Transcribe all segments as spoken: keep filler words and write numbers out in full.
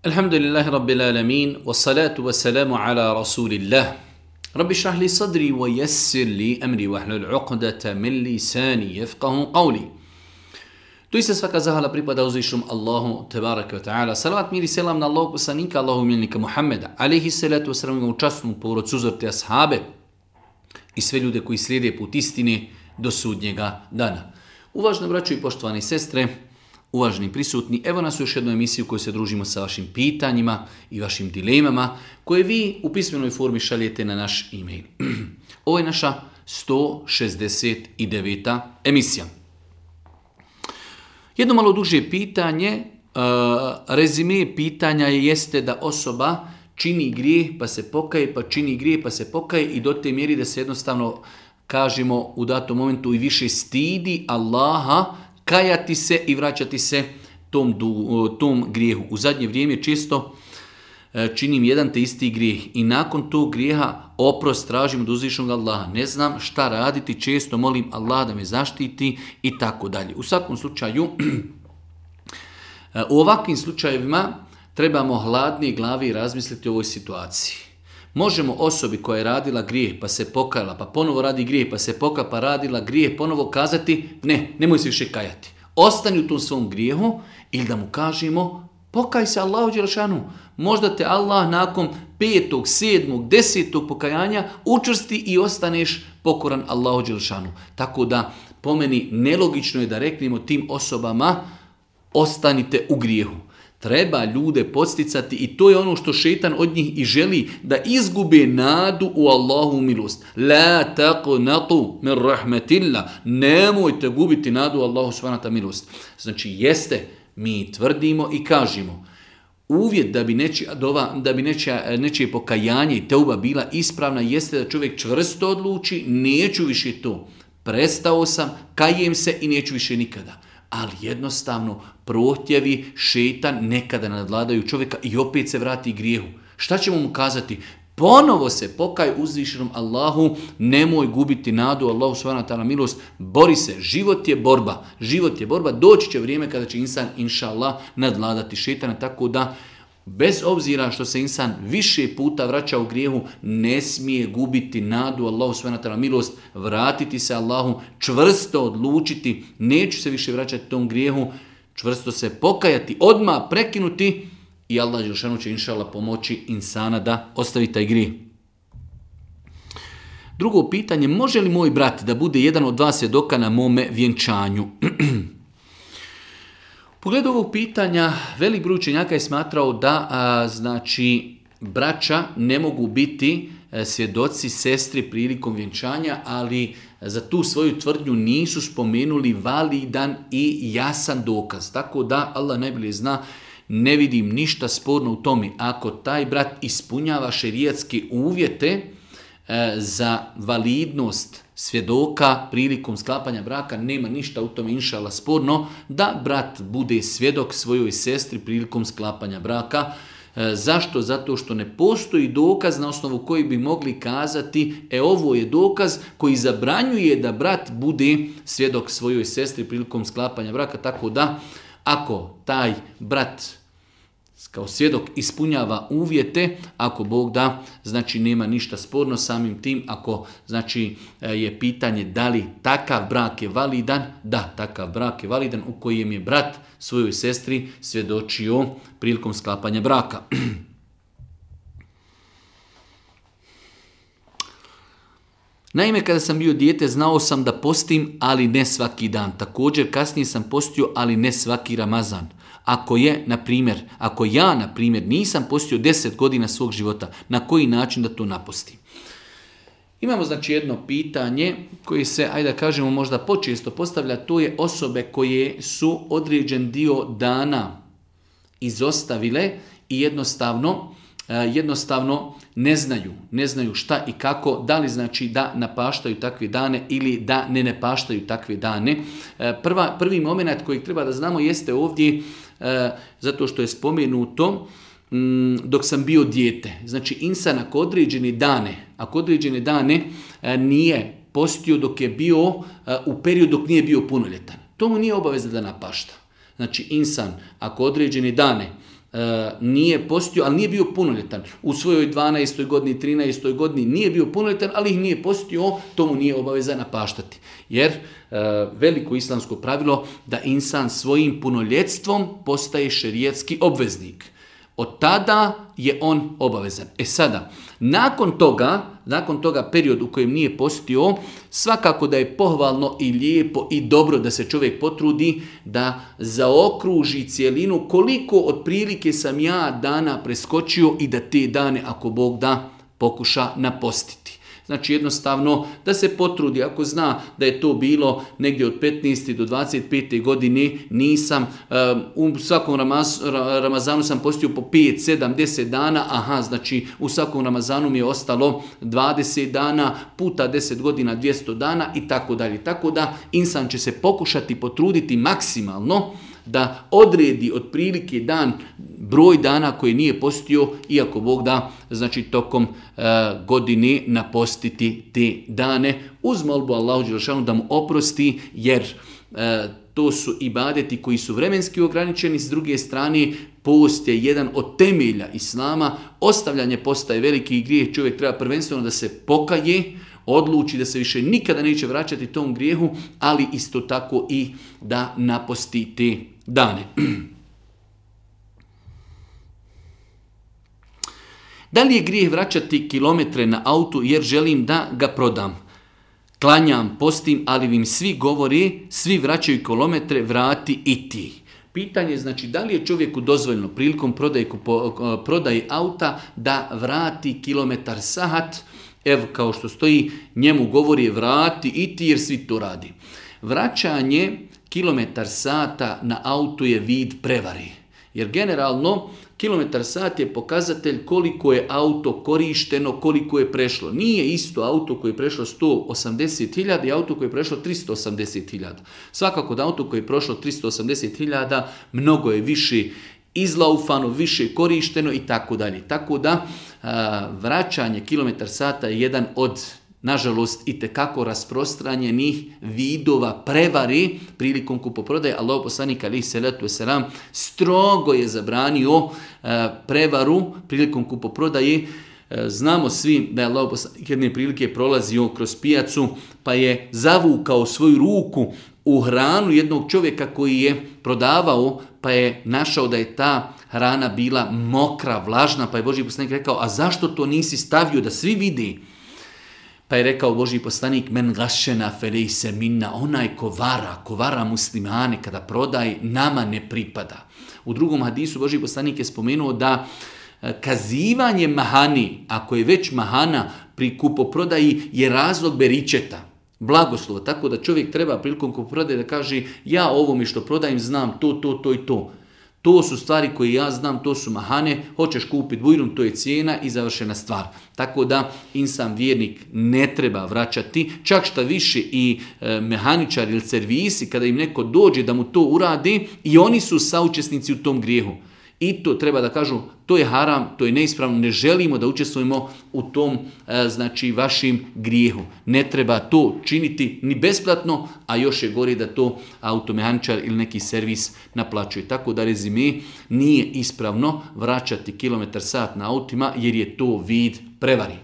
Alhamdulillahi Rabbil alamin, wassalatu wassalamu ala rasulillah. Rabbi šrah li sadri wa yassir li amri wa hlul uqdata min lisani yafqahu qawli. Doista svaka zahvala pripada uzvišenom Allahu tebareke ve taala. Salavat mir i selam na Allahog poslanika, Allahu miljenika Muhammeda, alejhi salatu vesselam, u časnu porodcu, uzor te ashabe i sve ljude koji slijede put istine do sudnjega dana. Uvaženi braćo i poštovani sestre, uvaženi prisutni, evo nas u još jednu emisiju u kojoj se družimo sa vašim pitanjima i vašim dilemama koje vi u pismenoj formi šaljete na naš e-mail. Ovo je naša sto šezdeset deveta emisija. Jedno malo duže pitanje, uh, rezime pitanja je jeste da osoba čini grijeh pa se pokaje, pa čini grijeh pa se pokaje i do te mjeri da se jednostavno, kažemo u datom momentu, i više stidi Allaha, kajati se i vraćati se tom, tom grijehu. U zadnje vrijeme često činim jedan te isti grijeh i nakon tog grijeha oprost tražim od uzvišenog Allaha. Ne znam šta raditi, često molim Allaha da me zaštiti i tako dalje. U svakom slučaju, u ovakvim slučajevima trebamo hladne glave razmisliti o ovoj situaciji. Možemo osobi koja je radila grijeh pa se pokajala, pa ponovo radi grijeh pa se pokajala, pa radila grijeh, ponovo kazati ne, nemoj se više kajati. Ostani u tom svom grijehu ili da mu kažemo pokaj se Allahu dželešanu. Možda te Allah nakon petog, sedmog, desetog pokajanja učvrsti i ostaneš pokoran Allahu dželešanu. Tako da po meni nelogično je da reknemo tim osobama ostanite u grijehu. Treba ljude podsticati i to je ono što šejtan od njih i želi, da izgube nadu u Allahu milost. La taqnatu min rahmatillah. Nemojte gubiti nadu u Allahu subhanahu wa ta'ala milost. Znači jeste, mi tvrdimo i kažemo, uvjet da bi nečija dova, da bi nečija, nečije pokajanje i teuba bila ispravna jeste da čovjek čvrsto odluči, neću više to. Prestao sam, kajem se i neću više nikada. Ali jednostavno prohtjevi šejtan nekada nadvladaju čovjeka i opet se vrati grijehu. Šta ćemo mu kazati? Ponovo se pokaj uzvišenom Allahu, nemoj gubiti nadu Allahu subhanahu wa ta'ala milost, bori se, život je borba, život je borba, doći će vrijeme kada će insan inša Allah nadvladati šejtana, tako da bez obzira što se insan više puta vraća u grijehu, ne smije gubiti nadu Allahu subhanahu wa ta'ala milost, vratiti se Allahu, čvrsto odlučiti, neću se više vraćati tom grijehu, čvrsto se pokajati, odmah prekinuti i Allah dželešanu će inšallah pomoći insana da ostavi taj grijeh. Drugo pitanje, može li moj brat da bude jedan od dva svjedoka na mome vjenčanju? U pogledu ovog pitanja, velik broj učenjaka je smatrao da a, znači braća ne mogu biti a, svjedoci sestri prilikom vjenčanja, ali za tu svoju tvrdnju nisu spomenuli validan i jasan dokaz. Tako da Allah najbolje zna, ne vidim ništa sporno u tome. Ako taj brat ispunjava šerijatske uvjete a, za validnost svjedoka prilikom sklapanja braka, nema ništa u tome inšallah sporno da brat bude svjedok svojoj sestri prilikom sklapanja braka. E, zašto? Zato što ne postoji dokaz na osnovu koji bi mogli kazati e ovo je dokaz koji zabranjuje da brat bude svjedok svojoj sestri prilikom sklapanja braka. Tako da ako taj brat kao svjedok ispunjava uvjete, ako Bog da, znači nema ništa sporno samim tim. Ako znači je pitanje da li takav brak je validan, da, takav brak je validan u kojem je brat svojoj sestri svjedočio prilikom sklapanja braka. Naime, kada sam bio dijete, znao sam da postim, ali ne svaki dan. Također, kasnije sam postio, ali ne svaki Ramazan. Ako je, na primjer, ako ja, na primjer, nisam postio deset godina svog života, na koji način da to napostim? Imamo, znači, jedno pitanje koje se, ajde da kažemo, možda počesto postavlja, to je osobe koje su određen dio dana izostavile i jednostavno, jednostavno ne znaju, ne znaju šta i kako, da li znači da napaštaju takve dane ili da ne napaštaju takve dane. Prva, prvi moment koji treba da znamo jeste ovdje, zato što je spomenuto, dok sam bio dijete. Znači insan ako određene dane, ako određene dane nije postio dok je bio u periodu dok nije bio punoljetan, to mu nije obaveza da napašta. Znači insan ako određene dane e, nije postio, ali nije bio punoljetan. U svojoj dvanaestoj godini, trinaestoj godini nije bio punoljetan, ali ih nije postio, to mu nije obaveza napaštati. Jer e, veliko islamsko pravilo da insan svojim punoljetstvom postaje šerijatski obveznik. Od tada je on obavezan. E sada, nakon toga, nakon toga period u kojem nije postio, svakako da je pohvalno i lijepo i dobro da se čovjek potrudi da zaokruži cijelinu koliko otprilike sam ja dana preskočio i da te dane, ako Bog da, pokuša napostiti. Znači jednostavno da se potrudi, ako zna da je to bilo negdje od petnaeste do dvadeset pete godine, nisam, um, u svakom Ramaz, Ramazanu sam postio po pet, sedam, deset dana, aha, znači u svakom Ramazanu mi je ostalo dvadeset dana, puta deset godina, dvjesto dana i tako dalje. Tako da insan će se pokušati potruditi maksimalno da odredi otprilike dan, broj dana koji nije postio, iako Bog da, znači tokom e, godine napostiti te dane, uz molbu Allahu dželešanu da mu oprosti, jer e, to su ibadeti koji su vremenski ograničeni, s druge strane post je jedan od temelja Islama, ostavljanje posta je veliki grijeh, čovjek treba prvenstveno da se pokaje, odluči da se više nikada neće vraćati tom grijehu, ali isto tako i da naposti te dane. Da li je grijeh vraćati kilometre na autu jer želim da ga prodam? Klanjam, postim, ali im svi govori, svi vraćaju kilometre, vrati i ti. Pitanje je znači da li je čovjeku dozvoljeno prilikom prodaje, prodaje auta da vrati kilometar sahat. Evo kao što stoji, njemu govori vrati i ti jer svi to radi. Vraćanje kilometar sata na auto je vid prevari. Jer generalno kilometar sat je pokazatelj koliko je auto korišteno, koliko je prešlo. Nije isto auto koje je prešlo sto osamdeset hiljada i auto koje je prešlo tristo osamdeset hiljada. Svakako da auto koje je prošlo tristo osamdeset hiljada mnogo je više izlaufano, više korišteno i tako dalje. Tako da a, vraćanje kilometar sata je jedan od, nažalost, itekako rasprostranjenih vidova prevari prilikom kupoprodaje. Allahov poslanik alejhi selatu vesselam strogo je zabranio a, prevaru prilikom kupoprodaje. Znamo svi da je Allahov poslanik jedne prilike prolazio kroz pijacu pa je zavukao svoju ruku u hranu jednog čovjeka koji je prodavao, pa je našao da je ta hrana bila mokra, vlažna, pa je Božji poslanik rekao, a zašto to nisi stavio da svi vidi? Pa je rekao Božji poslanik, men gašena felejse minna, onaj ko vara, ko vara muslimane kada prodaj, nama ne pripada. U drugom hadisu Božji poslanik je spomenuo da kazivanje mahani, ako je već mahana pri kupoprodaji, je razlog beričeta, blagoslova. Tako da čovjek treba prilikom kupoprodaje da kaže ja ovome što prodajem znam to, to, to i to. To su stvari koje ja znam, to su mahane, hoćeš kupiti bujrum, to je cijena i završena stvar. Tako da insan vjernik ne treba vraćati, čak šta više i e, mehaničar ili servisi, kada im neko dođe da mu to uradi, i oni su saučesnici u tom grijehu. I to treba da kažu, to je haram, to je neispravno, ne želimo da učestvujemo u tom, e, znači, vašim grijehu. Ne treba to činiti ni besplatno, a još je gore da to automehaničar ili neki servis naplaćuje. Tako da rezime, nije ispravno vraćati kilometar sat na autima jer je to vid prevari.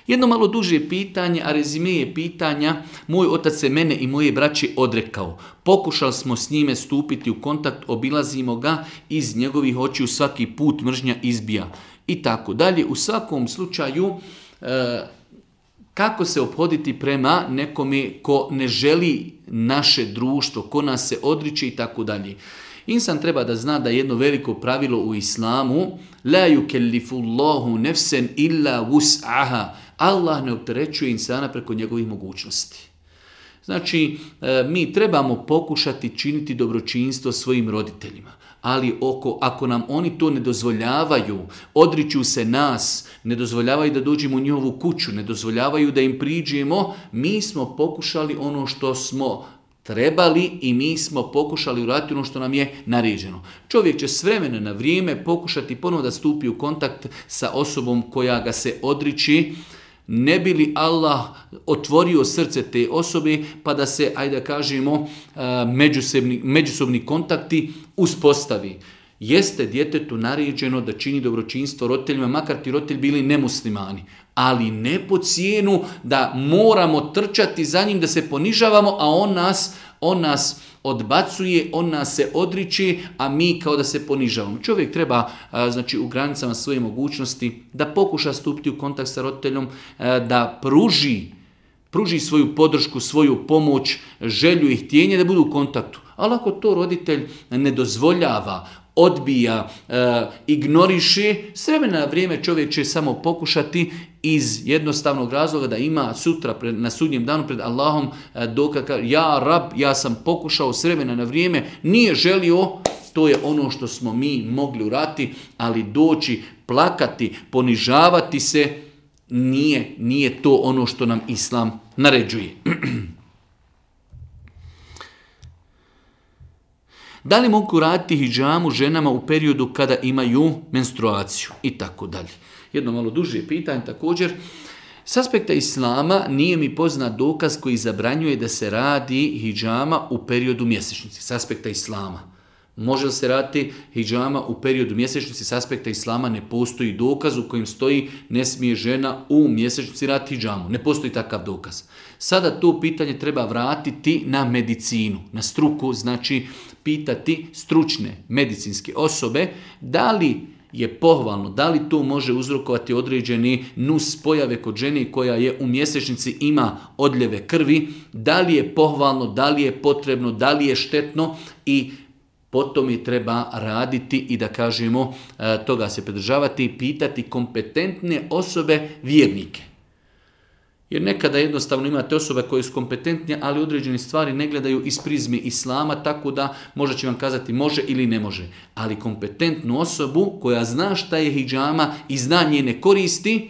Jedno malo duže pitanje, a rezime je pitanja, moj otac se mene i moje braće odrekao. Pokušali smo s njime stupiti u kontakt, obilazimo ga, iz njegovih očiju svaki put mržnja izbija. I tako dalje. U svakom slučaju, e, kako se ophoditi prema nekome ko ne želi naše društvo, ko nas se odriče i tako dalje. Insan treba da zna da je jedno veliko pravilo u islamu, la yukellifullahu nefsen illa wus'aha. Allah ne opterećuje insana preko njegovih mogućnosti. Znači, mi trebamo pokušati činiti dobročinstvo svojim roditeljima, ali oko, ako nam oni to ne dozvoljavaju, odriču se nas, ne dozvoljavaju da dođemo u njihovu kuću, ne dozvoljavaju da im priđemo, mi smo pokušali ono što smo trebali i mi smo pokušali uraditi ono što nam je naređeno. Čovjek će s vremena na vrijeme pokušati ponovo da stupi u kontakt sa osobom koja ga se odriči. ne bi li Allah otvorio srce te osobe pa da se, ajde da kažemo, međusobni, međusobni kontakti uspostavi. Jeste djetetu naređeno da čini dobročinstvo roditeljima, makar ti roditelji bili nemuslimani, ali ne po cijenu da moramo trčati za njim, da se ponižavamo, a on nas, on nas odbacuje, on nas se odriče, a mi kao da se ponižavamo. Čovjek treba, znači, u granicama svoje mogućnosti da pokuša stupiti u kontakt sa roditeljom, da pruži, pruži svoju podršku, svoju pomoć, želju i htjenje da budu u kontaktu. Ali ako to roditelj ne dozvoljava, odbija, e, ignoriše, s vremena na vrijeme čovjek će samo pokušati iz jednostavnog razloga da ima sutra pred, na sudnjem danu pred Allahom e, dokaz, ja rab, ja sam pokušao s vremena na vrijeme, nije želio, to je ono što smo mi mogli uraditi, ali doći, plakati, ponižavati se, nije, nije to ono što nam Islam naređuje. Da li mogu raditi hidžamu ženama u periodu kada imaju menstruaciju i tako dalje. Jedno malo duže pitanje također. S aspekta Islama nije mi poznat dokaz koji zabranjuje da se radi hidžama u periodu mjesečnice. S aspekta Islama. Može li se raditi hidžama u periodu mjesečnice? S aspekta Islama ne postoji dokaz u kojem stoji ne smije žena u mjesečnici raditi hidžamu. Ne postoji takav dokaz. Sada to pitanje treba vratiti na medicinu, na struku, znači pitati stručne medicinske osobe da li je pohvalno, da li to može uzrokovati određeni nus pojave kod žene koja je u mjesečnici, ima odljeve krvi, da li je pohvalno, da li je potrebno, da li je štetno i potom je treba raditi i da kažemo toga se pridržavati i pitati kompetentne osobe, vjernike. Jer nekada jednostavno imate osobe koje su kompetentne, ali određene stvari ne gledaju iz prizme Islama, tako da možda će vam kazati može ili ne može. Ali kompetentnu osobu koja zna šta je hidžama i zna njene koristi,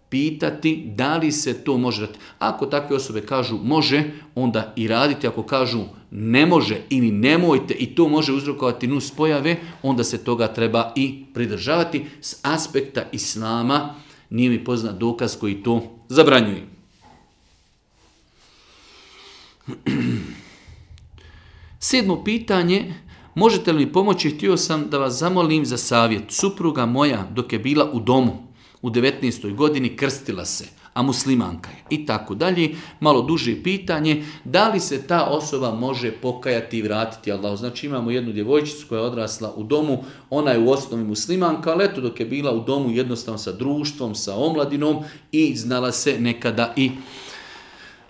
pitati da li se to može raditi. Ako takve osobe kažu može, onda i raditi. Ako kažu ne može ili nemojte i to može uzrokovati nus pojave, onda se toga treba i pridržavati. S aspekta Islama nije mi poznat dokaz koji to zabranjuje. Sedmo pitanje, možete li mi pomoći, htio sam da vas zamolim za savjet. Supruga moja dok je bila u domu u devetnaestoj godini krstila se, a muslimanka je i tako dalje. Malo duže pitanje, da li se ta osoba može pokajati i vratiti Allahu. Znači imamo jednu djevojčicu koja je odrasla u domu, ona je u osnovi muslimanka, ali eto dok je bila u domu jednostavno sa društvom, sa omladinom i znala se nekada i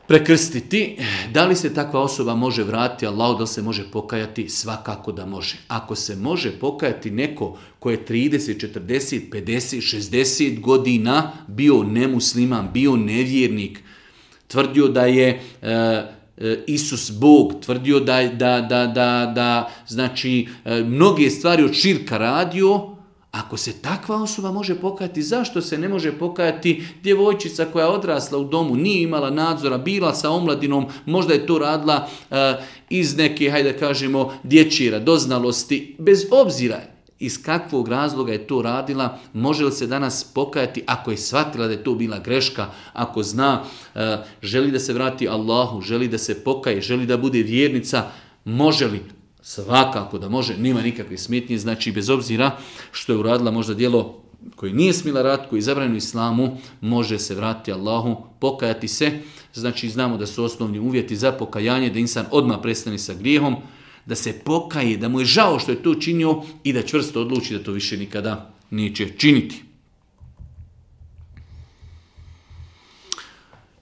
prekrstiti. Da li se takva osoba može vratiti Allahu, da li se može pokajati? Svakako da može. Ako se može pokajati neko ko je trideset, četrdeset, pedeset, šezdeset godina bio nemusliman, bio nevjernik, tvrdio da je e, Isus Bog, tvrdio da, da, da, da, da znači e, mnoge stvari od širka radio. Ako se takva osoba može pokajati, zašto se ne može pokajati djevojčica koja je odrasla u domu, nije imala nadzora, bila sa omladinom, možda je to radila uh, iz neke, hajde da kažemo, dječje radoznalosti, bez obzira iz kakvog razloga je to radila, može li se danas pokajati ako je shvatila da je to bila greška, ako zna, uh, želi da se vrati Allahu, želi da se pokaje, želi da bude vjernica, može li? Svakako da može, nema nikakve smetnje, znači bez obzira što je uradila možda djelo koje nije smjela raditi, koje je zabranjeno Islamu, može se vratiti Allahu, pokajati se. Znači znamo da su osnovni uvjeti za pokajanje, da insan odmah prestane sa grijehom, da se pokaje, da mu je žao što je to činio i da čvrsto odluči da to više nikada neće činiti.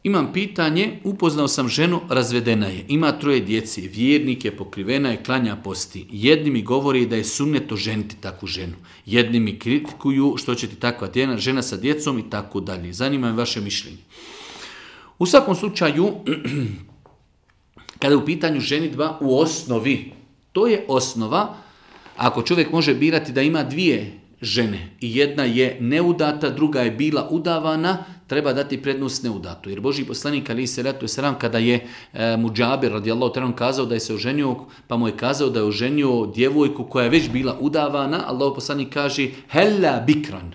Imam pitanje, upoznao sam ženu, razvedena je, ima troje djece, vjernik je, pokrivena je, klanja, posti. Jedni mi govori da je sunnet oženiti takvu ženu. Jedni mi kritikuju što će ti takva žena sa djecom i tako dalje. Zanima me vaše mišljenje. U svakom slučaju, kada je u pitanju ženidba u osnovi, to je osnova, ako čovjek može birati da ima dvije žene i jedna je neudata, druga je bila udavana, treba dati prednost neudatu. Jer Božji poslanik alejhi selatu vesselam kada je e, Mudžabir radijallahu ta'ala kazao da je se oženio, pa mu je kazao da je oženio djevojku koja je već bila udavana, Allahov poslanik kaže hella bikran.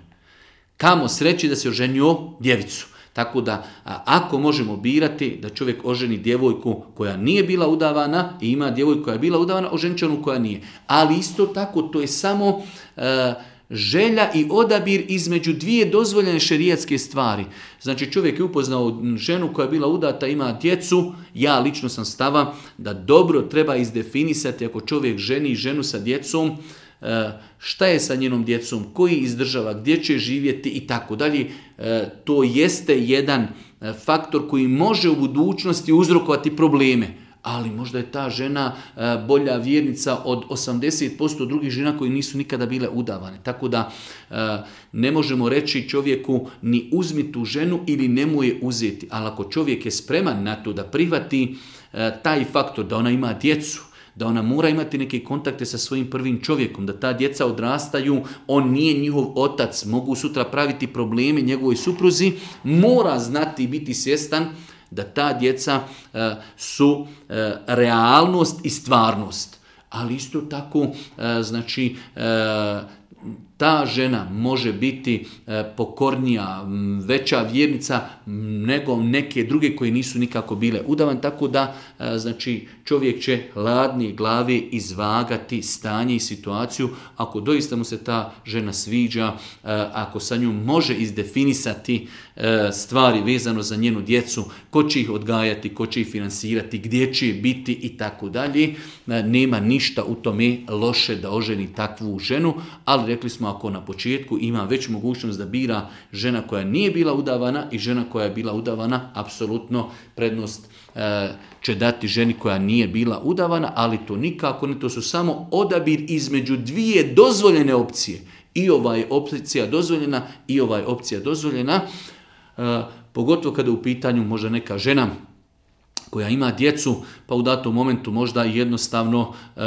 Kamo sreći da se oženio djevicu. Tako da, a, ako možemo birati da čovjek oženi djevojku koja nije bila udavana i ima djevojku koja je bila udavana, oženit će onu koja nije. Ali isto tako, to je samo e, želja i odabir između dvije dozvoljene šerijatske stvari. Znači čovjek je upoznao ženu koja je bila udata, ima djecu, ja lično sam stava da dobro treba izdefinisati ako čovjek ženi ženu sa djecom, šta je sa njenom djecom, koji izdržava, gdje će živjeti i tako dalje. To jeste jedan faktor koji može u budućnosti uzrokovati probleme. Ali možda je ta žena bolja vjernica od osamdeset posto drugih žena koji nisu nikada bile udavane. Tako da ne možemo reći čovjeku ni uzmi tu ženu ili nemoj je uzeti. Ali ako čovjek je spreman na to da prihvati taj faktor da ona ima djecu, da ona mora imati neke kontakte sa svojim prvim čovjekom, da ta djeca odrastaju, on nije njihov otac, mogu sutra praviti probleme njegovoj supruzi, mora znati i biti svjestan da ta djeca uh, su uh, realnost i stvarnost. Ali isto tako, uh, znači, uh, ta žena može biti e, pokornija, veća vjernica nego neke druge koje nisu nikako bile udavan, tako da e, znači čovjek će hladnije glave izvagati stanje i situaciju ako doista mu se ta žena sviđa, e, ako sa njom može izdefinisati e, stvari vezano za njenu djecu, ko će ih odgajati, ko će ih finansirati, gdje će biti i tako dalje. E, nema ništa u tome loše da oženi takvu ženu, ali rekli smo ako na početku ima već mogućnost da bira žena koja nije bila udavana i žena koja je bila udavana, apsolutno prednost e, će dati ženi koja nije bila udavana, ali to nikako ne, to su samo odabir između dvije dozvoljene opcije. I ova je opcija dozvoljena i ova je opcija dozvoljena, e, pogotovo kada u pitanju možda neka žena koja ima djecu, pa u datom momentu možda jednostavno e,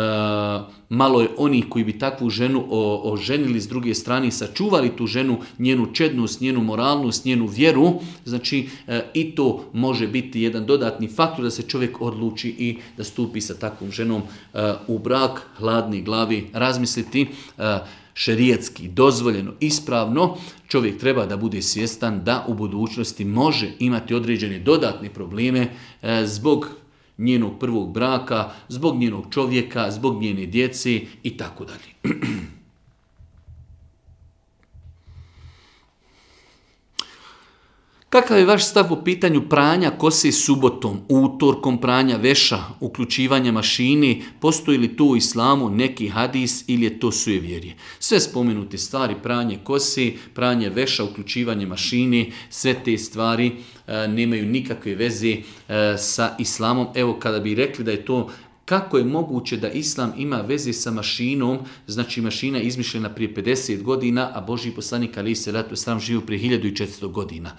malo je onih koji bi takvu ženu o, oženili s druge strane, sačuvali tu ženu, njenu čednost, njenu moralnost, njenu vjeru. Znači e, i to može biti jedan dodatni faktor da se čovjek odluči i da stupi sa takvom ženom e, u brak, hladni glavi, razmisliti e, šerijatski, dozvoljeno, ispravno, čovjek treba da bude svjestan da u budućnosti može imati određene dodatne probleme e, zbog njenog prvog braka, zbog njenog čovjeka, zbog njene djece i tako dalje. Kakav je vaš stav po pitanju pranja kose subotom, utorkom pranja veša, uključivanja mašini, postoji li tu u islamu neki hadis ili je to sujevjerje? Sve spomenute stvari, pranje kose, pranje veša, uključivanje mašini, sve te stvari e, nemaju nikakve veze e, sa islamom. Evo kada bi rekli da je to kako je moguće da islam ima veze sa mašinom, znači mašina je izmišljena prije pedeset godina, a Božji poslanik alejhi selatu vesselam živio prije hiljadu i četiristo godina.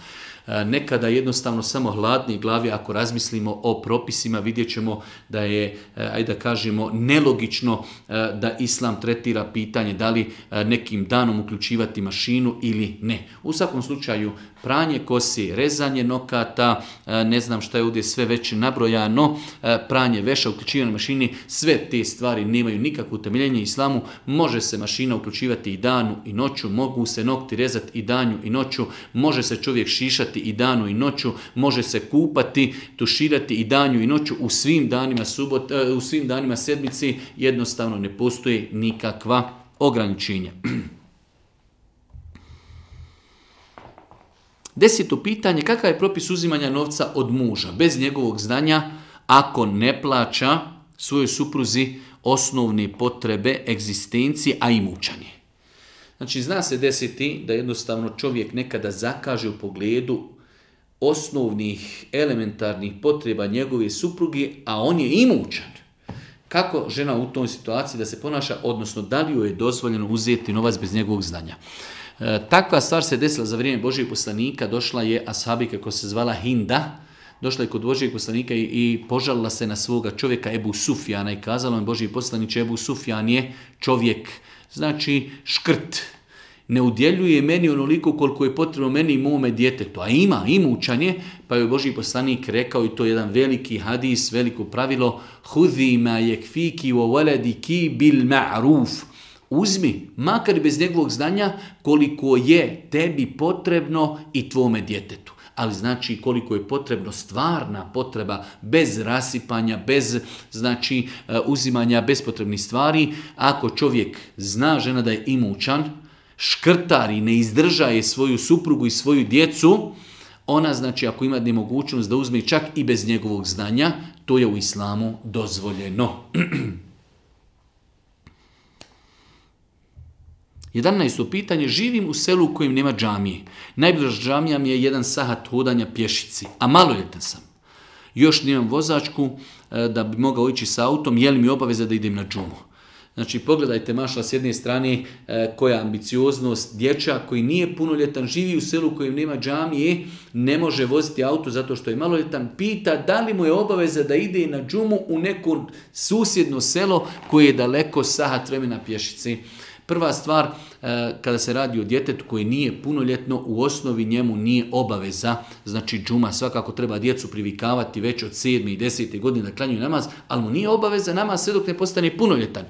Nekada jednostavno samo hladne glave, ako razmislimo o propisima, vidjet ćemo da je, ajde da kažemo, nelogično da islam tretira pitanje da li nekim danom uključivati mašinu ili ne. U svakom slučaju, pranje kose, rezanje nokata, ne znam šta je ovdje sve već nabrojano, pranje veša, uključivanje mašini, sve te stvari nemaju nikakvo utemeljenje islamu. Može se mašina uključivati i danu i noću, mogu se nokti rezati i danju i noću, može se čovjek šišati i danu i noću, može se kupati, tuširati i danju i noću, u svim danima subot, u svim danima sedmici, jednostavno ne postoji nikakva ograničenja. Deseto pitanje, kakav je propis uzimanja novca od muža bez njegovog znanja ako ne plaća svojoj supruzi osnovne potrebe egzistencije, a imućan je? Znači, zna se desiti da jednostavno čovjek nekada zakaže u pogledu osnovnih elementarnih potreba njegove supruge, a on je imućan. Kako žena u toj situaciji da se ponaša, odnosno da li joj je dozvoljeno uzeti novac bez njegovog znanja? E, takva stvar se desila za vrijeme Božijeg poslanika, došla je ashabika koja se zvala Hinda, došla je kod Božijeg poslanika i, i požalila se na svoga čovjeka Ebu Sufjana i kazala mu Božji poslaniče, Ebu Sufjan je čovjek, znači škrt, ne udjeljuje meni onoliko koliko je potrebno meni i mome djetetu, a ima, imućan je, pa je Božji poslanik rekao, i to je jedan veliki hadis, veliko pravilo, hudhi ma yekfiki wa waladiki bil ma'ruf. Uzmi, makar bez njegovog znanja, koliko je tebi potrebno i tvome djetetu. ali znači koliko je potrebno stvarna potreba, bez rasipanja, bez znači uzimanja bespotrebnih stvari. Ako čovjek zna, žena da je imućan, škrtari, ne izdržaje svoju suprugu i svoju djecu, ona znači ako ima nemogućnost da uzme čak i bez njegovog znanja, to je u islamu dozvoljeno. jedanaesto pitanje, živim u selu u kojem nema džamije. Najbliža džamija mi je jedan sahat hodanja pješici, a maloljetan sam. Još nemam vozačku da bi mogao ići s autom, je li mi obaveza da idem na džumu? Znači, pogledajte, mašla, s jedne strane e, koja ambicioznost, dječak koji nije punoljetan, živi u selu u kojem nema džamije, ne može voziti auto zato što je maloljetan, pita da li mu je obaveza da ide na džumu u neko susjedno selo koje je daleko sahat vremena pješici. Prva stvar, e, kada se radi o djetetu koji nije punoljetno, u osnovi njemu nije obaveza, znači džuma, svakako treba djecu privikavati već od sedme i desete godine da klanjaju namaz, ali mu nije obaveza namaz sve dok ne postane punoljetan.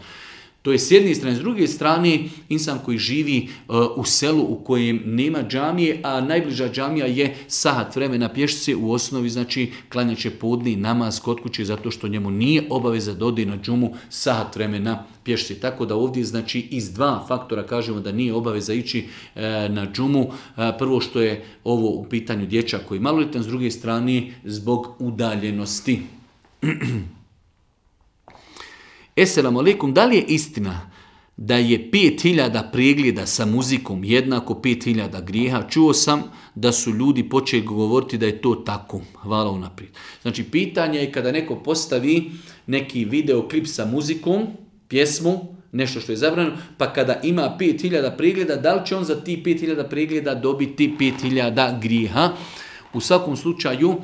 To je s jedne strane. S druge strane, insan koji živi uh, u selu u kojem nema džamije, a najbliža džamija je sahat vremena pješice, u osnovi znači klanjat će podni namaz kod kuće zato što njemu nije obaveza da ode na džumu sahat vremena pješice. Tako da ovdje znači iz dva faktora kažemo da nije obaveza ići uh, na džumu. Uh, prvo što je ovo u pitanju dječak koji je maloljetan, s druge strane zbog udaljenosti. Esselamu alaikum, da li je istina da je pet hiljada pregleda sa muzikom jednako pet hiljada grijeha? Čuo sam da su ljudi počeli govoriti da je to tako. Hvala unaprijed. Znači, pitanje je kada neko postavi neki videoklip sa muzikom, pjesmu, nešto što je zabranjeno, pa kada ima pet hiljada pregleda, da li će on za ti pet hiljada pregleda dobiti pet hiljada grijeha? U svakom slučaju,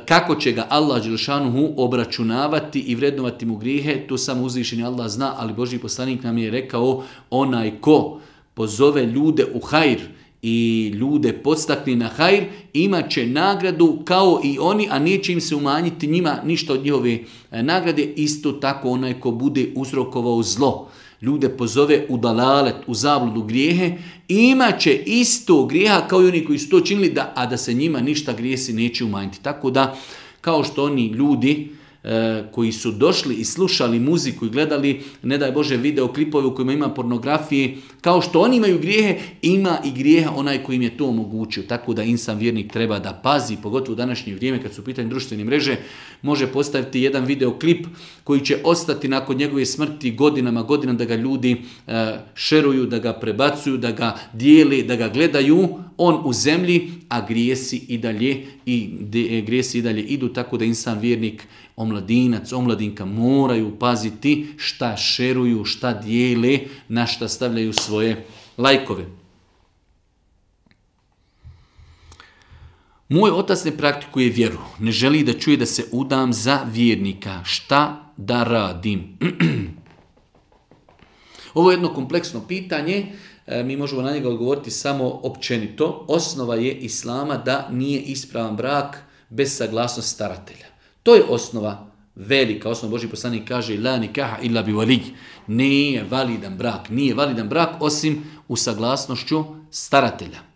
kako će ga Allah dželšanuhu obračunavati i vrednovati mu grijehe, to samo uzvišeni Allah zna, ali Božji poslanik nam je rekao, onaj ko pozove ljude u hajr i ljude podstakne na hajr, imat će nagradu kao i oni, a neće im se umanjiti njima ništa od njihove nagrade. Isto tako onaj ko bude uzrokovao zlo, ljude pozove u dalalet, u zabludu, grijehe, imat će isto grijeha kao i oni koji su to činili, da, a da se njima ništa grijesi neće umanjiti. Tako da, kao što oni ljudi e, koji su došli i slušali muziku i gledali, ne daj Bože, videoklipove u kojima ima pornografije, kao što oni imaju grijehe, ima i grijeha onaj koji im je to omogućio. Tako da insan vjernik treba da pazi, pogotovo u današnje vrijeme kad su u pitanju društvene mreže, može postaviti jedan videoklip koji će ostati nakon njegove smrti godinama, godinama da ga ljudi e, šeruju, da ga prebacuju, da ga dijeli, da ga gledaju, on u zemlji, a grijesi i dalje, i de, grijesi i dalje idu, tako da insan vjernik, omladinac, omladinka moraju paziti šta šeruju, šta dijele, na šta stavljaju svoje lajkove. Moj otac ne praktikuje vjeru, ne želi da čuje da se udam za vjernika. Šta da radim? Ovo je jedno kompleksno pitanje, mi možemo na njega odgovoriti samo općenito. Osnova je islama da nije ispravan brak bez saglasnosti staratelja. To je osnova, velika osnova. Božji poslanik kaže la nikaha illa bi walij. Nije validan brak, nije validan brak osim u saglasnošću staratelja.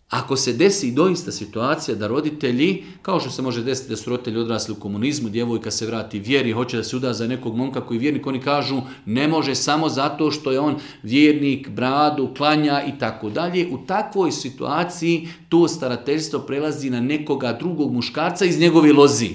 Ako se desi doista situacija da roditelji, kao što se može desiti da su roditelji odrasli u komunizmu, djevojka se vrati vjeri, hoće da se uda za nekog momka koji je vjernik, oni kažu ne može samo zato što je on vjernik, bradu, klanja i tako dalje. U takvoj situaciji to starateljstvo prelazi na nekoga drugog muškarca iz njegove lozi.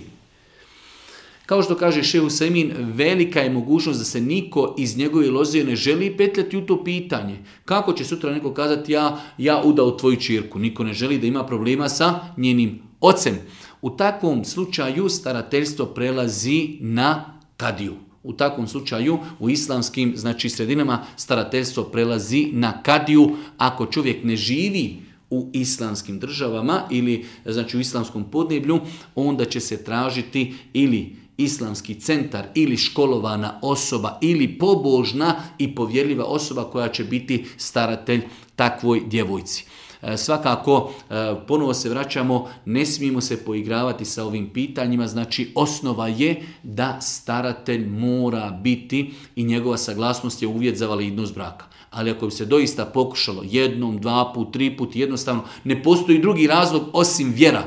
Kao što kaže Šejh Usajmin, velika je mogućnost da se niko iz njegove loze ne želi petljati u to pitanje. Kako će sutra neko kazati ja, ja udao tvoju ćerku? Niko ne želi da ima problema sa njenim ocem. U takvom slučaju starateljstvo prelazi na kadiju. U takvom slučaju u islamskim znači sredinama starateljstvo prelazi na kadiju ako čovjek ne živi u islamskim državama ili znači u islamskom podneblju, onda će se tražiti ili islamski centar ili školovana osoba ili pobožna i povjerljiva osoba koja će biti staratelj takvoj djevojci. Svakako, ponovo se vraćamo, ne smijemo se poigravati sa ovim pitanjima, znači osnova je da staratelj mora biti i njegova saglasnost je uvjet za validnost braka. Ali ako bi se doista pokušalo jednom, dva put, tri put, jednostavno ne postoji drugi razlog osim vjera.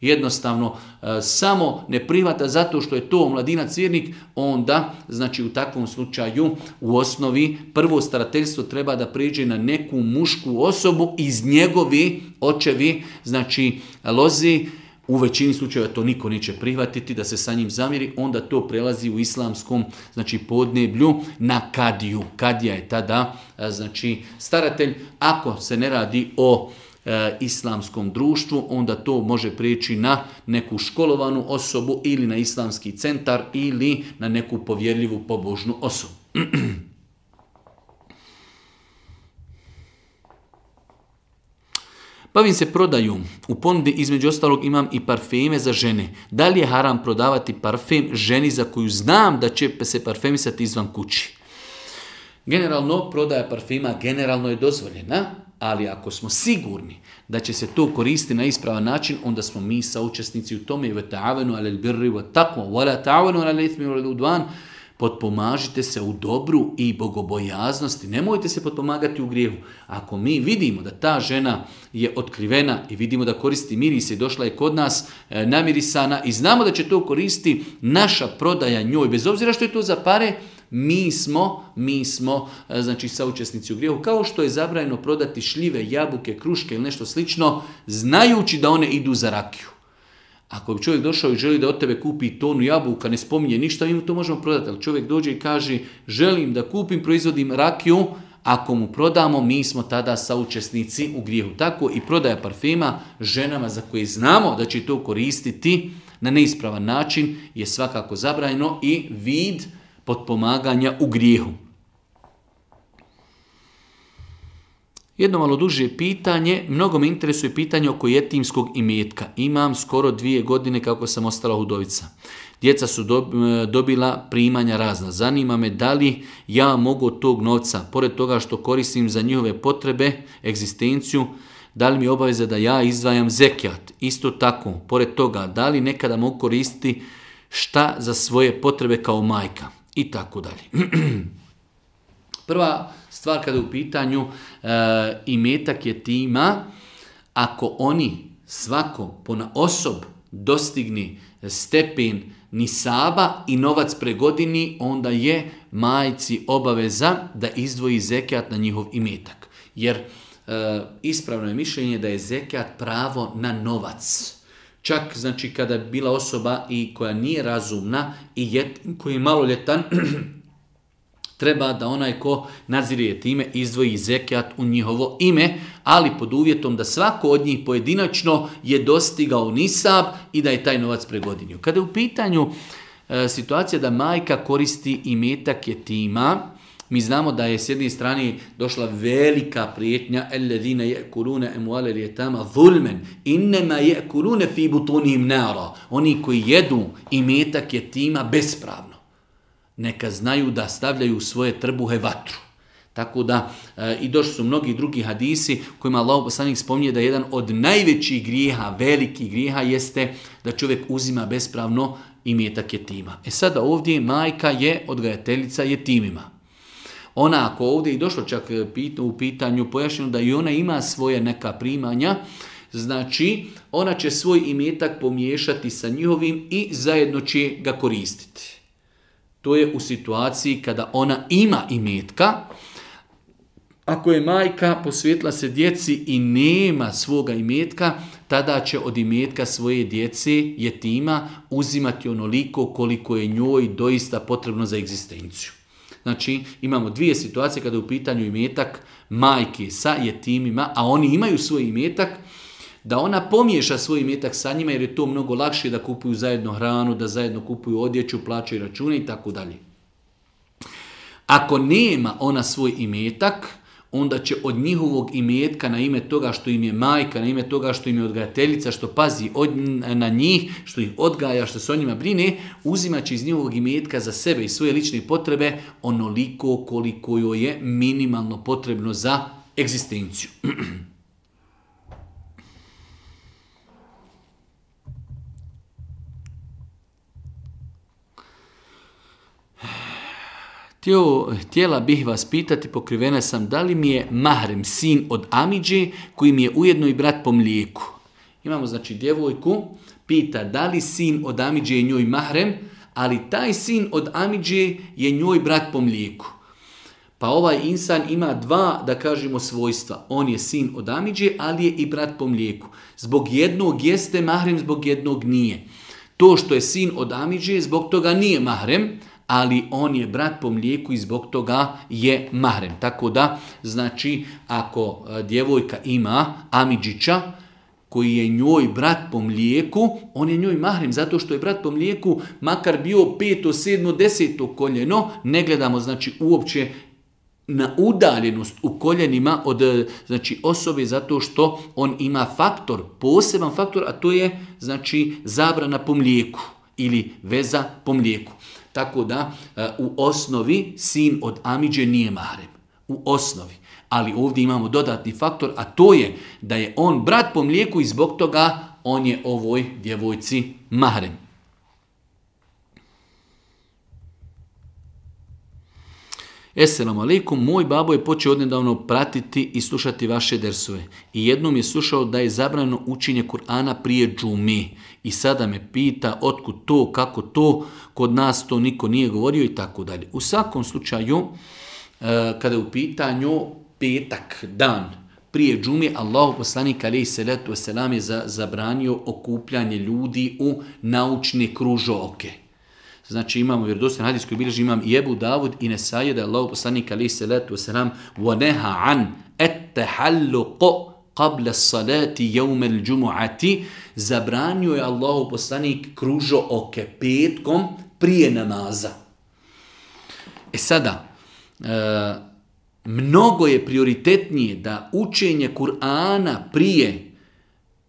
Jednostavno, e, samo ne prihvata zato što je to mladinac vjernik, onda, znači u takvom slučaju, u osnovi, prvo starateljstvo treba da prijeđe na neku mušku osobu iz njegovi očevi, znači lozi. U većini slučajeva to niko neće prihvatiti, da se sa njim zamiri, onda to prelazi u islamskom, znači podneblju na kadiju. Kadija je tada, znači staratelj, ako se ne radi o e, islamskom društvu, onda to može prijeći na neku školovanu osobu ili na islamski centar ili na neku povjerljivu pobožnu osobu. Bavim se prodaju. U ponudi između ostalog imam i parfeme za žene. Da li je haram prodavati parfem ženi za koju znam da će se parfemisati izvan kući? Generalno, prodaja parfema generalno je dozvoljena, ali ako smo sigurni da će se to koristiti na ispravan način, onda smo mi saučesnici u tome. وَتَعَوَنُوا عَلَى الْبِرِّ وَالتَّقْوَى وَلَا تَعَوَنُوا عَلَى الْإِثْمِ وَالْعُدْوَانِ. Potpomažite se u dobru i bogobojaznosti. Nemojte se potpomagati u grijehu. Ako mi vidimo da ta žena je otkrivena i vidimo da koristi miris i došla je kod nas e, namirisana i znamo da će to koristiti, naša prodaja njoj, bez obzira što je to za pare, mi smo, mi smo e, znači saučesnici u grijehu. Kao što je zabranjeno prodati šljive, jabuke, kruške ili nešto slično, znajući da one idu za rakiju. Ako bi čovjek došao i želi da od tebe kupi tonu jabuka, ne spominje ništa, mi mu to možemo prodati. Ali čovjek dođe i kaže, želim da kupim, proizvodim rakiju, ako mu prodamo, mi smo tada saučesnici u grijehu. Tako i prodaja parfema ženama za koje znamo da će to koristiti na neispravan način je svakako zabranjeno i vid potpomaganja u grijehu. Jedno malo duže pitanje, mnogo me interesuje pitanje oko jetimskog imetka. Imam skoro dvije godine kako sam ostala udovica. Djeca su dobila primanja razna. Zanima me da li ja mogu od tog novca, pored toga što koristim za njihove potrebe, egzistenciju, da li mi je obaveza da ja izdvajam zekijat. Isto tako, pored toga, da li nekada mogu koristiti šta za svoje potrebe kao majka i tako dalje. Prva stvar kada je u pitanju e, imetak jetima, ako oni svako ponaosob dostigni stepen nisaba i novac pregodini, onda je majci obaveza da izdvoji zekijat na njihov imetak. Jer e, ispravno je mišljenje da je zekijat pravo na novac. Čak znači kada je bila osoba i koja nije razumna i jet, koji je maloljetan, treba da onaj ko nadzire time izvoji zekijat u njihovo ime, ali pod uvjetom da svako od njih pojedinačno je dostigao nisab i da je taj novac pregodinio. Kada je u pitanju e, situacija da majka koristi imetak jetima, mi znamo da je s jedne strane došla velika prijetnja الذين يأكلون أموال اليتامى ظلما إنما يأكلون في بطونهم نارا. Oni koji jedu imetak jetima bespravno, neka znaju da stavljaju u svoje trbuhe vatru. Tako da e, i došli su mnogi drugi hadisi kojima Allah poslanik spominje da jedan od najvećih grijeha, velikih grijeha jeste da čovjek uzima bespravno imetak jetima. E sada ovdje majka je odgajateljica jetimima. Ona ako ovdje i došlo čak u pitanju pojašnjeno da i ona ima svoje neka primanja, znači ona će svoj imetak pomiješati sa njihovim i zajedno će ga koristiti. To je u situaciji kada ona ima imetka. Ako je majka posvetila se djeci i nema svoga imetka, tada će od imetka svoje djece, jetima, uzimati onoliko koliko je njoj doista potrebno za egzistenciju. Znači, imamo dvije situacije kada je u pitanju imetak majke sa jetimima, a oni imaju svoj imetak, da ona pomiješa svoj imetak sa njima jer je to mnogo lakše da kupuju zajedno hranu, da zajedno kupuju odjeću, plaćaju račune i tako dalje. Ako nema ona svoj imetak, onda će od njihovog imetka na ime toga što im je majka, na ime toga što im je odgajateljica, što pazi od, na njih, što ih odgaja, što se o njima brine, uzimat će iz njihovog imetka za sebe i svoje lične potrebe onoliko koliko joj je minimalno potrebno za egzistenciju. Htio, htjela bih vas pitati, pokrivena sam, da li mi je mahrem sin od amidže koji mi je ujedno i brat po mlijeku. Imamo znači djevojku, pita da li sin od amidže je njoj mahrem, ali taj sin od amidže je njoj brat po mlijeku. Pa ovaj insan ima dva, da kažemo, svojstva. On je sin od amidže, ali je i brat po mlijeku. Zbog jednog jeste mahrem, zbog jednog nije. To što je sin od amidže, zbog toga nije mahrem, ali on je brat po mlijeku i zbog toga je mahrem. Tako da, znači, ako djevojka ima amidžića, koji je njoj brat po mlijeku, on je njoj mahrem, zato što je brat po mlijeku, makar bio peto, sedmo, deseto koljeno, ne gledamo znači uopće na udaljenost u koljenima od znači osobe, zato što on ima faktor, poseban faktor, a to je znači zabrana po mlijeku ili veza po mlijeku. Tako da u osnovi sin od amidže nije mahrem. U osnovi. Ali ovdje imamo dodatni faktor, a to je da je on brat po mlijeku i zbog toga on je ovoj djevojci mahrem. Esselamu alaikum, moj babo je počeo odnedavno pratiti i slušati vaše dersove. I jednom je slušao da je zabranjeno učenje Kur'ana prije džume. I sada me pita otkud to, kako to, kod nas to niko nije govorio i tako dalje. U svakom slučaju, kada je u pitanju petak, dan, prije džume, Allahu poslanik alejhi selatu vesselam je zabranio okupljanje ljudi u naučne kružoke. Znači imamo vjerodostojan hadis koji bilježi imam i Ebu Davud i Nesaje da je Allahu poslanik alejhi selatu vesselam وَنَهَا عَنْ التَّحَلُّقُ قَبْلَ الصَّلَاةِ يَوْمَ الْجُمُعَةِ zabranio je Allahu poslanik kružooke petkom prije namaza. E sada, e, mnogo je prioritetnije da učenje Kur'ana prije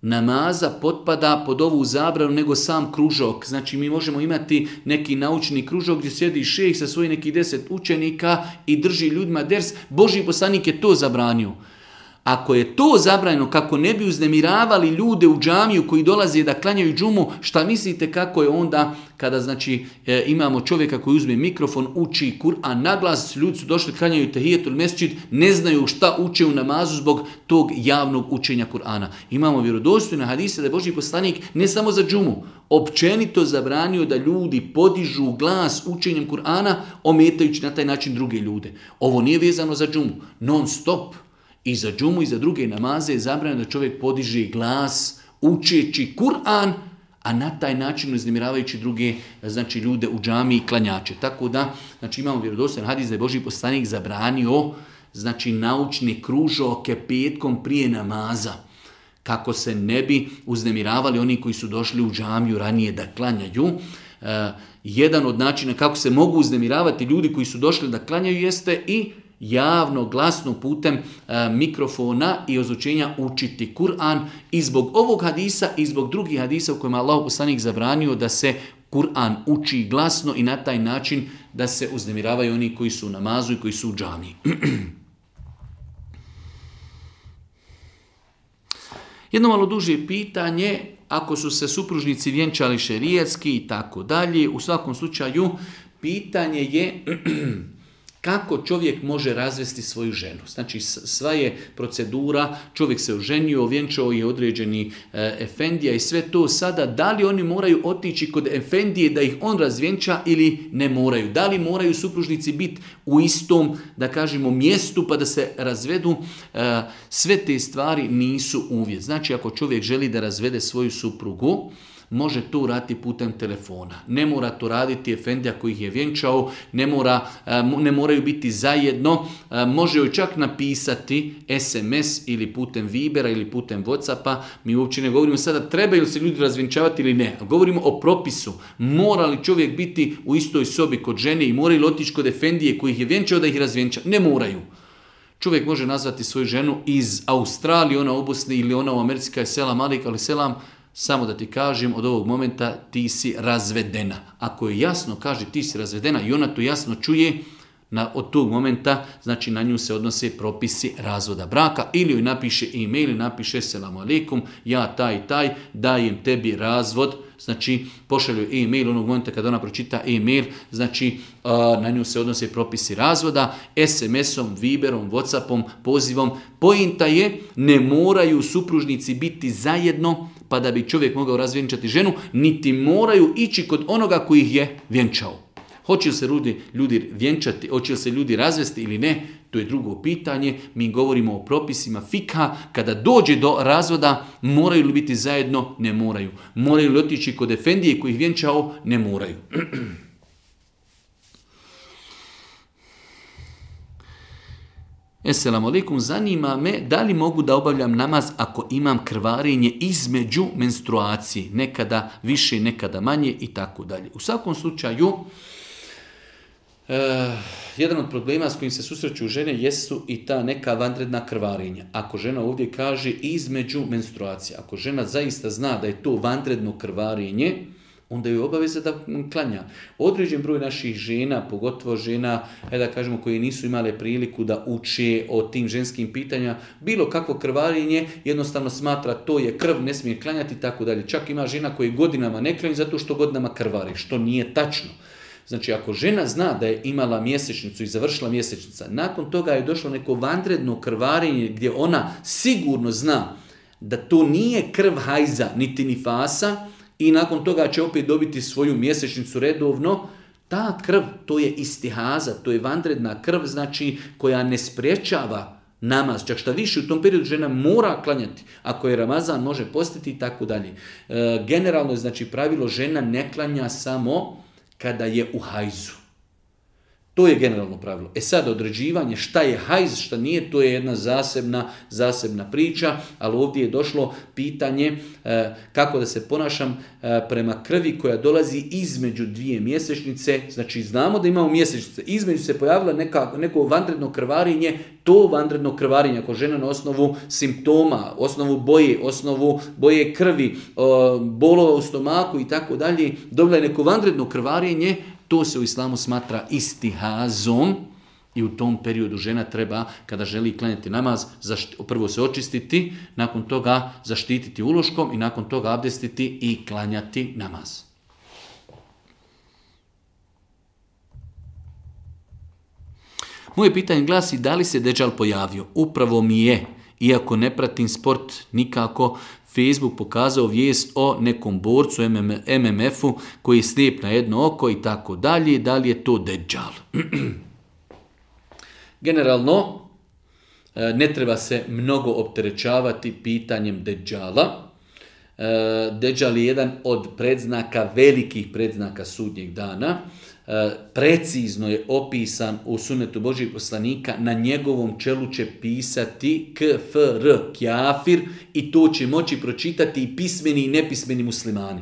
namaza potpada pod ovu zabranu nego sam kružok. Znači mi možemo imati neki naučni kružok gdje sjedi šejh sa svojih nekih deset učenika i drži ljudima ders. Božji poslanik je to zabranio. Ako je to zabranjeno kako ne bi uznemiravali ljude u džamiju koji dolaze da klanjaju džumu, šta mislite kako je onda kada znači e, imamo čovjeka koji uzme mikrofon, uči Kur'an naglas, ljudi su došli, klanjaju tehijetul mesdžid, ne znaju šta uče u namazu zbog tog javnog učenja Kur'ana. Imamo vjerodostojne hadise da je Božji poslanik ne samo za džumu, općenito zabranio da ljudi podižu glas učenjem Kur'ana, ometajući na taj način druge ljude. Ovo nije vezano za džumu, non stop. I za džumu i za druge namaze je zabranjeno da čovjek podiže glas učeći Kur'an, a na taj način uznemiravajući druge znači, ljude u džami i klanjače. Tako da znači, imamo vjerodostojan hadis da je Božji poslanik zabranio znači, naučne kružoke petkom prije namaza, kako se ne bi uznemiravali oni koji su došli u džamiju ranije da klanjaju. Uh, jedan od načina kako se mogu uznemiravati ljudi koji su došli da klanjaju jeste i javno, glasno putem e, mikrofona i ozučenja učiti Kur'an. I zbog ovog hadisa i zbog drugih hadisa u kojima Allah poslanik zabranio da se Kur'an uči glasno i na taj način da se uznemiravaju oni koji su u namazu i koji su u džamiji. Jedno malo duže pitanje, ako su se supružnici vjenčali šerijatski i tako dalje, u svakom slučaju pitanje je kako čovjek može razvesti svoju ženu. Znači sva je procedura, čovjek se oženio, vjenčao je određeni e, efendija i sve to sada, da li oni moraju otići kod efendije da ih on razvjenča ili ne moraju? Da li moraju supružnici biti u istom, da kažemo, mjestu pa da se razvedu? E, sve te stvari nisu uvjet. Znači ako čovjek želi da razvede svoju suprugu, može to uraditi putem telefona. Ne mora to raditi efendija koji ih je vjenčao, ne, mora, ne moraju biti zajedno. Može joj čak napisati es em es ili putem Vibera ili putem Whatsappa. Mi uopće ne govorimo sada trebaju li se ljudi razvjenčavati ili ne. Govorimo o propisu. Mora li čovjek biti u istoj sobi kod žene i mora li otići kod efendije koji ih je vjenčao da ih razvjenča? Ne moraju. Čovjek može nazvati svoju ženu iz Australije, ona u Bosni ili ona u Americi, je selam alik, ali selam, samo da ti kažem, od ovog momenta ti si razvedena. Ako je jasno kaže ti si razvedena i ona to jasno čuje, na, od tog momenta, znači na nju se odnose propisi razvoda braka, ili joj napiše e-mail, ili napiše selam alaikum, ja taj taj, dajem tebi razvod, znači pošalju e-mail onog momenta kada ona pročita e-mail, znači na nju se odnose propisi razvoda, es em esom, Viberom, Whatsappom, pozivom. Pointa je, ne moraju supružnici biti zajedno pa da bi čovjek mogao razvjenčati ženu, niti moraju ići kod onoga koji ih je vjenčao. Hoće li se ljudi, ljudi vjenčati, hoće li se ljudi razvesti ili ne, to je drugo pitanje. Mi govorimo o propisima fikha. Kada dođe do razvoda, moraju li biti zajedno? Ne moraju. Moraju li otići kod efendije koji ih vjenčao? Ne moraju. Esselamu alaikum, zanima me da li mogu da obavljam namaz ako imam krvarenje između menstruacije, nekada više, nekada manje i tako dalje. U svakom slučaju, e, jedan od problema s kojim se susreću žene jesu i ta neka vanredna krvarenja. Ako žena ovdje kaže između menstruacije, ako žena zaista zna da je to vanredno krvarenje, onda je obaveza da klanja. Određen broj naših žena, pogotovo žena, da kažemo, koje nisu imale priliku da uče o tim ženskim pitanjima, bilo kakvo krvarenje, jednostavno smatra to je krv, ne smije klanjati i tako dalje. Čak ima žena koje godinama ne klanju zato što godinama krvari, što nije tačno. Znači, ako žena zna da je imala mjesečnicu i završila mjesečnica, nakon toga je došlo neko vanredno krvarenje gdje ona sigurno zna da to nije krv hajza, niti nifasa, i nakon toga će opet dobiti svoju mjesečnicu redovno, ta krv, to je istihaza, to je vanredna krv, znači koja ne sprječava namaz. Čak šta više, u tom periodu žena mora klanjati. Ako je Ramazan, može postiti i tako dalje. E, generalno je znači pravilo, žena ne klanja samo kada je u hajzu. To je generalno pravilo. E sad, određivanje šta je hajz, šta nije, to je jedna zasebna, zasebna priča, ali ovdje je došlo pitanje e, kako da se ponašam e, prema krvi koja dolazi između dvije mjesečnice. Znači, znamo da imamo mjesečnice. Između se pojavila neka, neko vanredno krvarenje, to vanredno krvarenje, ako žena na osnovu simptoma, osnovu boje, osnovu boje krvi, o, bolova u stomaku i tako dalje, dobila je neko vanredno krvarenje, to se u islamu smatra istihazom i u tom periodu žena treba, kada želi klanjati namaz, zašti, prvo se očistiti, nakon toga zaštititi uloškom i nakon toga abdestiti i klanjati namaz. Moje pitanje glasi, da li se Dejjal pojavio? Upravo mi je, iako ne pratim sport nikako. Facebook pokazao vijest o nekom borcu em em efu koji je slijep na jedno oko i tako dalje. Da li je to Dejjal? Generalno, ne treba se mnogo opterećavati pitanjem Dejjala. Dejjal je jedan od predznaka, velikih predznaka sudnjeg dana. Precizno je opisan u sunnetu Božjih poslanika, na njegovom čelu će pisati kfr, kjafir, i to će moći pročitati i pismeni i nepismeni muslimani.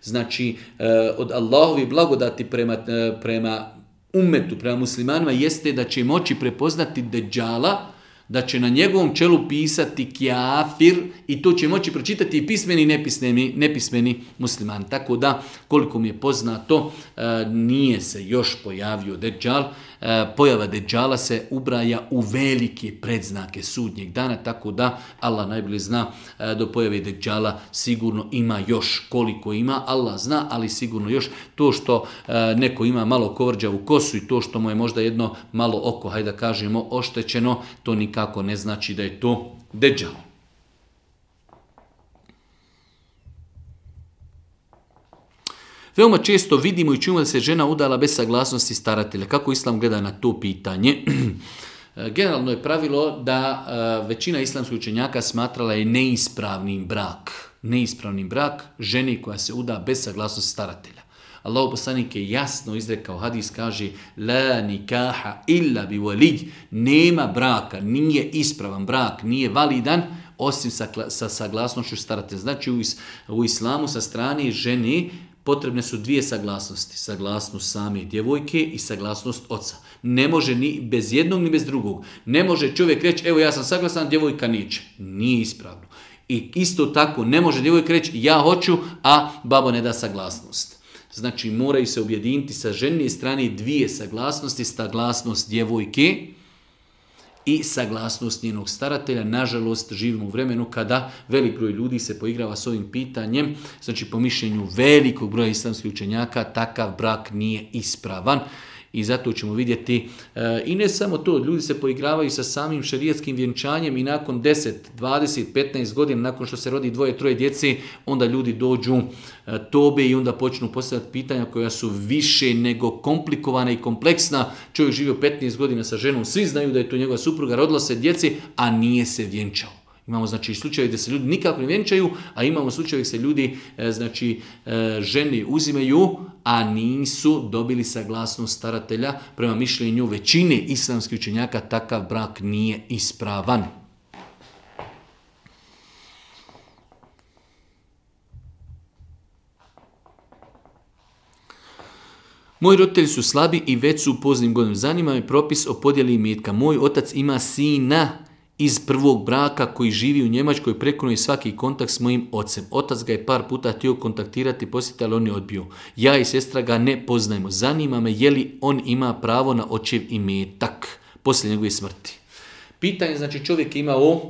Znači, od Allahovi blagodati prema, prema ummetu, prema muslimanima, jeste da će moći prepoznati Dejjala, da će na njegovom čelu pisati kjafir i to će moći pročitati i pismeni i nepismeni, nepismeni muslimani. Tako da, koliko mi je poznato, nije se još pojavio Dejjal. Pojava Dejjala se ubraja u velike predznake sudnjeg dana, tako da Allah najbolje zna, do pojave Dejjala sigurno ima još, koliko ima, Allah zna, ali sigurno još. To što neko ima malo kovrđavu kosu i to što mu je možda jedno malo oko, hajde da kažemo, oštećeno, to nikako ne znači da je to Dejjal. Veoma često vidimo i čujemo da se žena udala bez saglasnosti staratelja. Kako Islam gleda na to pitanje? Generalno je pravilo da većina islamskih učenjaka smatrala je neispravnim brak. Neispravnim brak ženi koja se uda bez saglasnosti staratelja. Allahov poslanik je jasno izrekao, hadis kaže la nikaha illa bi walij, nema braka, nije ispravan brak, nije validan osim sa, sa saglasnošću staratelja. Znači u, is, u islamu sa strane žene potrebne su dvije saglasnosti. Saglasnost same djevojke i saglasnost oca. Ne može ni bez jednog ni bez drugog. Ne može čovjek reći, evo ja sam saglasan, djevojka neće. Nije ispravno. I isto tako ne može djevojka reći, ja hoću, a babo ne da saglasnost. Znači moraju se objediniti sa ženine strane dvije saglasnosti, saglasnost djevojke i saglasnost njenog staratelja. Nažalost, živimo u vremenu kada velik broj ljudi se poigrava s ovim pitanjem. Znači, po mišljenju velikog broja islamskih učenjaka, takav brak nije ispravan. I zato ćemo vidjeti, e, i ne samo to, ljudi se poigravaju sa samim šerijetskim vjenčanjem i nakon deset, dvadeset, petnaest godina, nakon što se rodi dvoje, troje djece, onda ljudi dođu e, tobe i onda počnu postavljati pitanja koja su više nego komplikovana i kompleksna. Čovjek živio petnaest godina sa ženom, svi znaju da je to njegova supruga, rodila se djeci, a nije se vjenčao. Imamo znači slučaje gdje se ljudi nikako ne vjenčaju, a imamo slučaje gdje se ljudi e, znači e, žene uzimaju, a nisu dobili saglasnost staratelja. Prema mišljenju većine islamskih učenjaka takav brak nije ispravan. Moji roditelji su slabi i već su u poznim godinama. Zanima me propis o podjeli imetka. Moj otac ima sina iz prvog braka koji živi u Njemačkoj, prekinuo je svaki kontakt s mojim ocem. Otac ga je par puta htio kontaktirati, posjetiti, ali on je odbio. Ja i sestra ga ne poznajemo. Zanima me je li on ima pravo na očev imetak poslije njegove smrti. Pitanje, znači čovjek je imao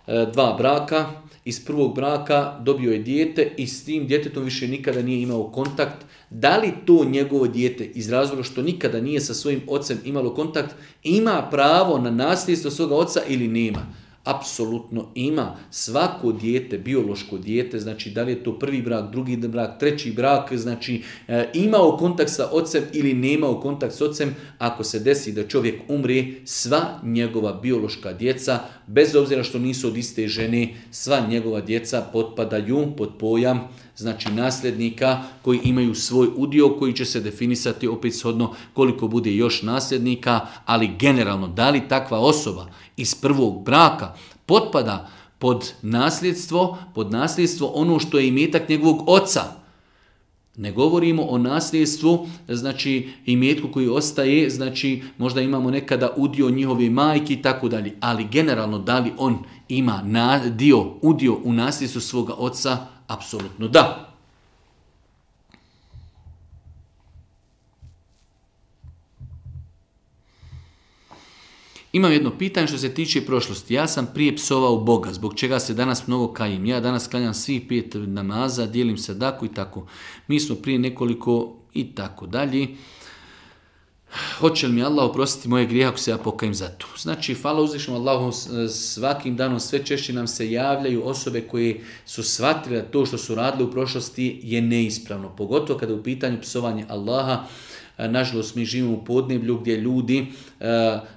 e, dva braka, iz prvog braka dobio je dijete i s tim djetetom više nikada nije imao kontakt. Da li to njegovo dijete iz razloga što nikada nije sa svojim ocem imalo kontakt, ima pravo na nasljedstvo svoga oca ili nema? Apsolutno ima. Svako dijete, biološko dijete, znači da li je to prvi brak, drugi brak, treći brak, znači e, imao kontakt sa ocem ili nemao kontakt s ocem, ako se desi da čovjek umre, sva njegova biološka djeca, bez obzira što nisu od iste žene, sva njegova djeca potpadaju pod pojam znači nasljednika koji imaju svoj udio koji će se definisati opet shodno koliko bude još nasljednika, ali generalno da li takva osoba iz prvog braka potpada pod nasljedstvo, pod nasljedstvo ono što je imetak njegovog oca. Ne govorimo o nasljedstvu, znači imetku koji ostaje, znači možda imamo nekada udio njihove majke i tako dalje, ali generalno da li on ima na, dio, udio u nasljedstvu svoga oca, apsolutno da. Imam jedno pitanje što se tiče prošlosti. Ja sam prije psovao Boga, zbog čega se danas mnogo kajim. Ja danas klanjam svih pet namaza, dijelim sadaku i tako. Mi smo prije nekoliko i tako dalje. Hoće li mi Allah oprostiti moje grijehe ako se ja pokajem za to? Znači, hvala uzvišenom Allahu, svakim danom sve češće nam se javljaju osobe koje su shvatile da to što su radili u prošlosti je neispravno. Pogotovo kada je u pitanju psovanje Allaha. Nažalost, mi živimo u podneblju gdje ljudi uh,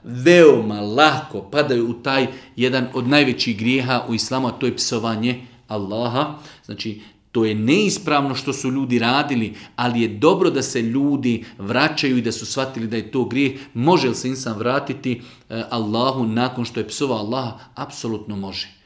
veoma lako padaju u taj jedan od najvećih grijeha u islamu, a to je psovanje Allaha. Znači, to je neispravno što su ljudi radili, ali je dobro da se ljudi vraćaju i da su shvatili da je to grijeh. Može li se insan vratiti uh, Allahu nakon što je psovao Allaha? Apsolutno može.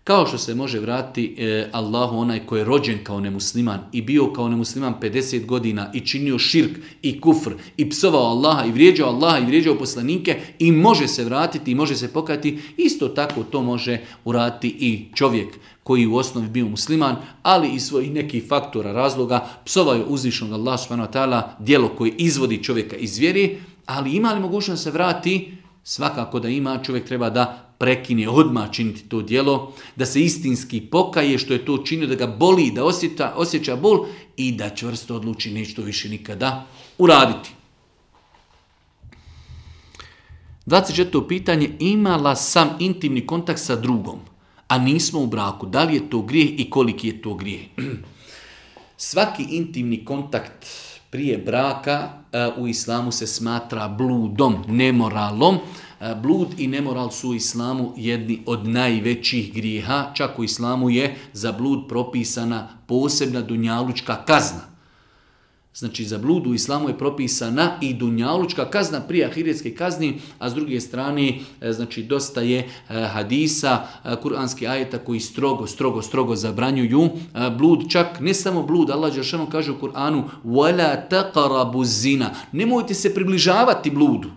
Kao što se može vratiti e, Allahu onaj koji je rođen kao nemusliman i bio kao nemusliman pedeset godina i činio širk i kufr i psovao Allaha i vrijeđao Allaha i vrijeđao poslanike i može se vratiti i može se pokajati, isto tako to može uraditi i čovjek koji u osnovi bio musliman, ali iz svojih nekih faktora, razloga, psovaju uzvišenog Allaha subhanahu wa ta'ala, djelo koje izvodi čovjeka iz vjeri, ali ima li mogućnost da se vrati? Svakako da ima, čovjek treba da prekine odmah činiti to djelo, da se istinski pokaje što je to činio, da ga boli, da osjeća, osjeća bol i da čvrsto odluči neće to više nikada uraditi. dvadeset četvrto pitanje, imala sam intimni kontakt sa drugom, a nismo u braku. Da li je to grijeh i koliki je to grijeh? Svaki intimni kontakt prije braka u islamu se smatra bludom, nemoralom. Blud i nemoral su u islamu jedni od najvećih grijeha. Čak u islamu je za blud propisana posebna dunjalučka kazna. Znači za blud u islamu je propisana i dunjalučka kazna prije ahiretske kazni, a s druge strane znači dosta je hadisa, kuranskih ajeta koji strogo, strogo, strogo zabranjuju blud. Čak ne samo blud, Allah dželešanu kaže u Kur'anu وَلَا تَقَرَبُ الزِّنَا, nemojte se približavati bludu.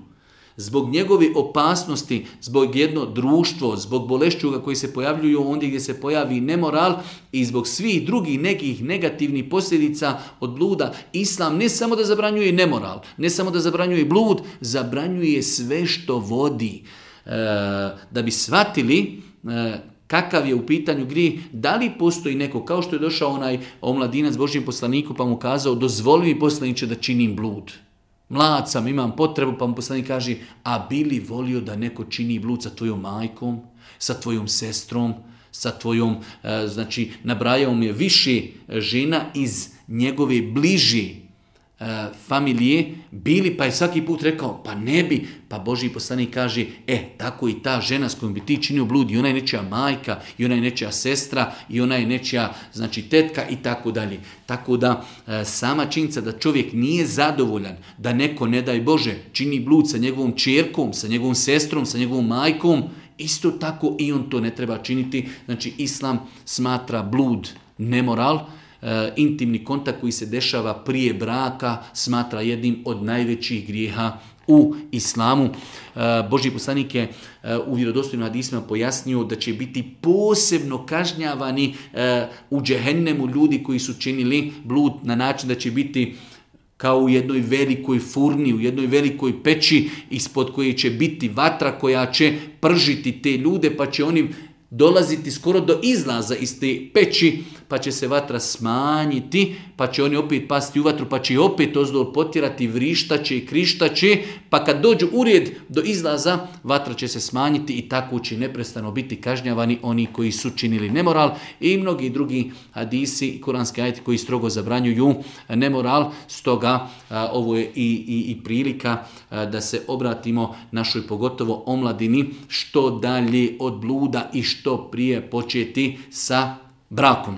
Zbog njegove opasnosti, zbog jedno društvo, zbog bolešćuga koji se pojavljuju ondje gdje se pojavi nemoral i zbog svih drugih nekih negativnih posljedica od bluda, Islam ne samo da zabranjuje nemoral, ne samo da zabranjuje blud, zabranjuje sve što vodi da bi shvatili kakav je u pitanju grijeh, da li postoji neko, kao što je došao onaj omladinac Božjem poslaniku pa mu kazao, dozvoli mi poslaniče da činim blud. Mlad sam, imam potrebu, pa mu poslanik kaže, a bi li volio da neko čini blud sa tvojom majkom, sa tvojom sestrom, sa tvojom, znači, nabrajao mi je više žena iz njegove bliži familije, bili, pa je svaki put rekao, pa ne bi, pa Božji poslanik kaže, e, tako i ta žena s kojom bi ti činio blud, i ona je nečija majka, i ona je nečija sestra, i ona je nečija, znači, tetka, i tako dalje. Tako da, sama činjenica da čovjek nije zadovoljan, da neko, ne daj Bože, čini blud sa njegovom čerkom, sa njegovom sestrom, sa njegovom majkom, isto tako i on to ne treba činiti. Znači, Islam smatra blud nemoral, intimni kontakt koji se dešava prije braka smatra jednim od najvećih grijeha u islamu. Božji poslanik je u vjerodostojnim hadisima pojasnio da će biti posebno kažnjavani u džehennemu ljudi koji su činili blud na način da će biti kao u jednoj velikoj furni, u jednoj velikoj peći ispod koje će biti vatra koja će pržiti te ljude, pa će oni dolaziti skoro do izlaza iz te peći, pa će se vatra smanjiti, pa će oni opet pasti u vatru, pa će opet ozdol potjerati, vrištaće i krištaće, pa kad dođu u red do izlaza, vatra će se smanjiti i tako će neprestano biti kažnjavani oni koji su činili nemoral, i mnogi drugi hadisi i kuranski ajeti koji strogo zabranjuju nemoral. Stoga a, ovo je i, i, i prilika a, da se obratimo našoj pogotovo omladini što dalje od bluda i što prije početi sa brakom.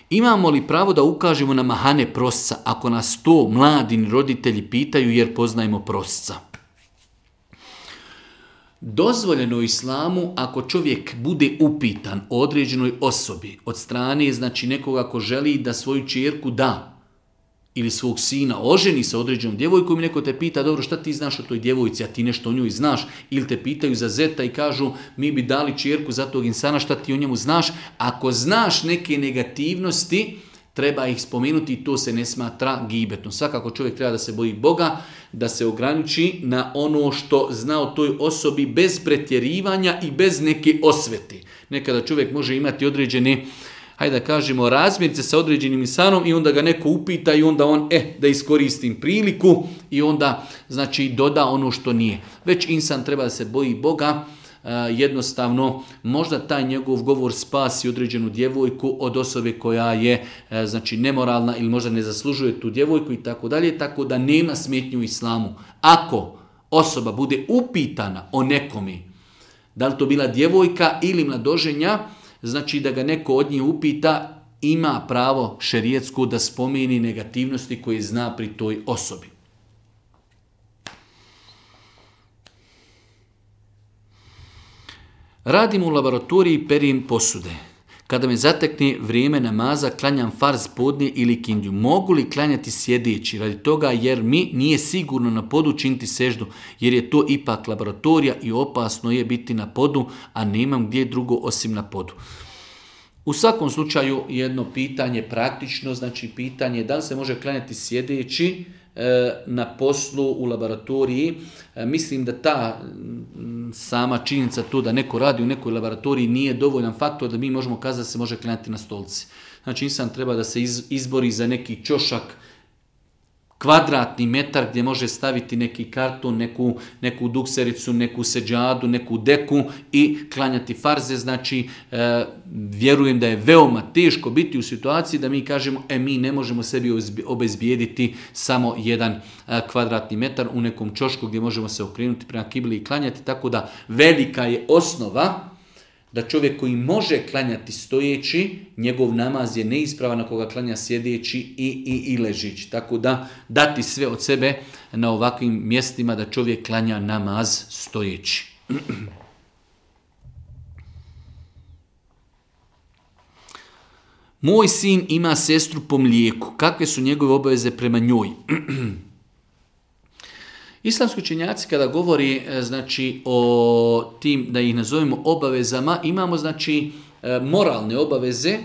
Imamo li pravo da ukažemo na mahane prosca ako nas to mladi roditelji pitaju jer poznajemo prosca? Dozvoljeno u islamu ako čovjek bude upitan o određenoj osobi od strane, znači nekoga ko želi da svoju ćerku da ili svog sina oženi sa određenom djevojkom i neko te pita, dobro, šta ti znaš o toj djevojci, a ti nešto o njoj znaš, ili te pitaju za zeta i kažu, mi bi dali ćerku za tog insana, šta ti o njemu znaš. Ako znaš neke negativnosti, treba ih spomenuti i to se ne smatra gibetno. Svakako čovjek treba da se boji Boga, da se ograniči na ono što zna o toj osobi bez pretjerivanja i bez neke osvete. Nekada čovjek može imati određene, hajde da kažemo, razmirice sa određenim insanom i onda ga neko upita i onda on, eh, da iskoristim priliku i onda, znači, doda ono što nije. Već insan treba da se boji Boga, e, jednostavno, možda taj njegov govor spasi određenu djevojku od osobe koja je, e, znači, nemoralna ili možda ne zaslužuje tu djevojku i tako dalje, tako da nema smetnju u islamu. Ako osoba bude upitana o nekome, da li to bila djevojka ili mladoženja, znači da ga neko od njih upita, ima pravo šerijetsku da spomeni negativnosti koje zna pri toj osobi. Radim u laboratoriji, perijem posude. Kada me zatekne vrijeme namaza, klanjam farz podne ili kindiju. Mogu li klanjati sjedeći radi toga jer mi nije sigurno na podu činiti seždu, jer je to ipak laboratorija i opasno je biti na podu, a nemam gdje drugo osim na podu. U svakom slučaju jedno pitanje praktično, znači pitanje da li se može klanjati sjedeći na poslu u laboratoriji. Mislim da ta sama činjenica to da neko radi u nekoj laboratoriji nije dovoljan faktor da mi možemo kazati da se može klanjati na stolci. Znači insan treba da se izbori za neki ćošak, kvadratni metar gdje može staviti neki karton, neku, neku duksericu, neku seđadu, neku deku i klanjati farze. Znači, e, vjerujem da je veoma teško biti u situaciji da mi kažemo, e, mi ne možemo sebi obezbijediti samo jedan e, kvadratni metar u nekom ćošku gdje možemo se okrenuti prema kibli i klanjati. Tako da velika je osnova da čovjek koji može klanjati stojeći, njegov namaz je neispravan ako ga klanja sjedeći i, i, i ležeći. Tako da dati sve od sebe na ovakvim mjestima da čovjek klanja namaz stojeći. Moj sin ima sestru po mlijeku. Kakve su njegove obaveze prema njoj? Islamski učenjaci kada govori, znači, o tim, da ih nazovemo obavezama, imamo, znači, moralne obaveze,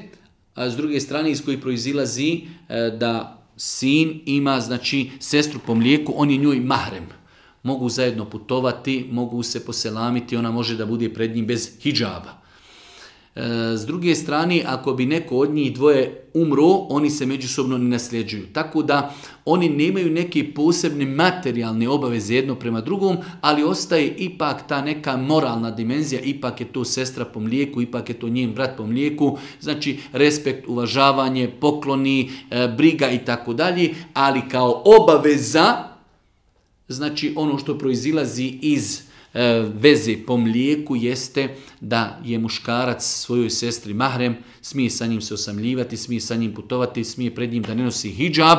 a s druge strane iz kojih proizilazi da sin ima znači sestru po mlijeku, on je njoj mahrem. Mogu zajedno putovati, mogu se poselamiti, ona može da bude pred njim bez hidžaba. S druge strane, ako bi neko od njih dvoje umro, oni se međusobno ne nasljeđuju. Tako da oni nemaju neke posebne materijalne obaveze jedno prema drugom, ali ostaje ipak ta neka moralna dimenzija, ipak je to sestra po mlijeku, ipak je to njen brat po mlijeku, znači respekt, uvažavanje, pokloni, briga i tako dalje, ali kao obaveza, znači ono što proizilazi iz veze po mlijeku jeste da je muškarac svojoj sestri mahrem, smije sa njim se osamljivati, smije sa njim putovati, smije pred njim da ne nosi hidžab,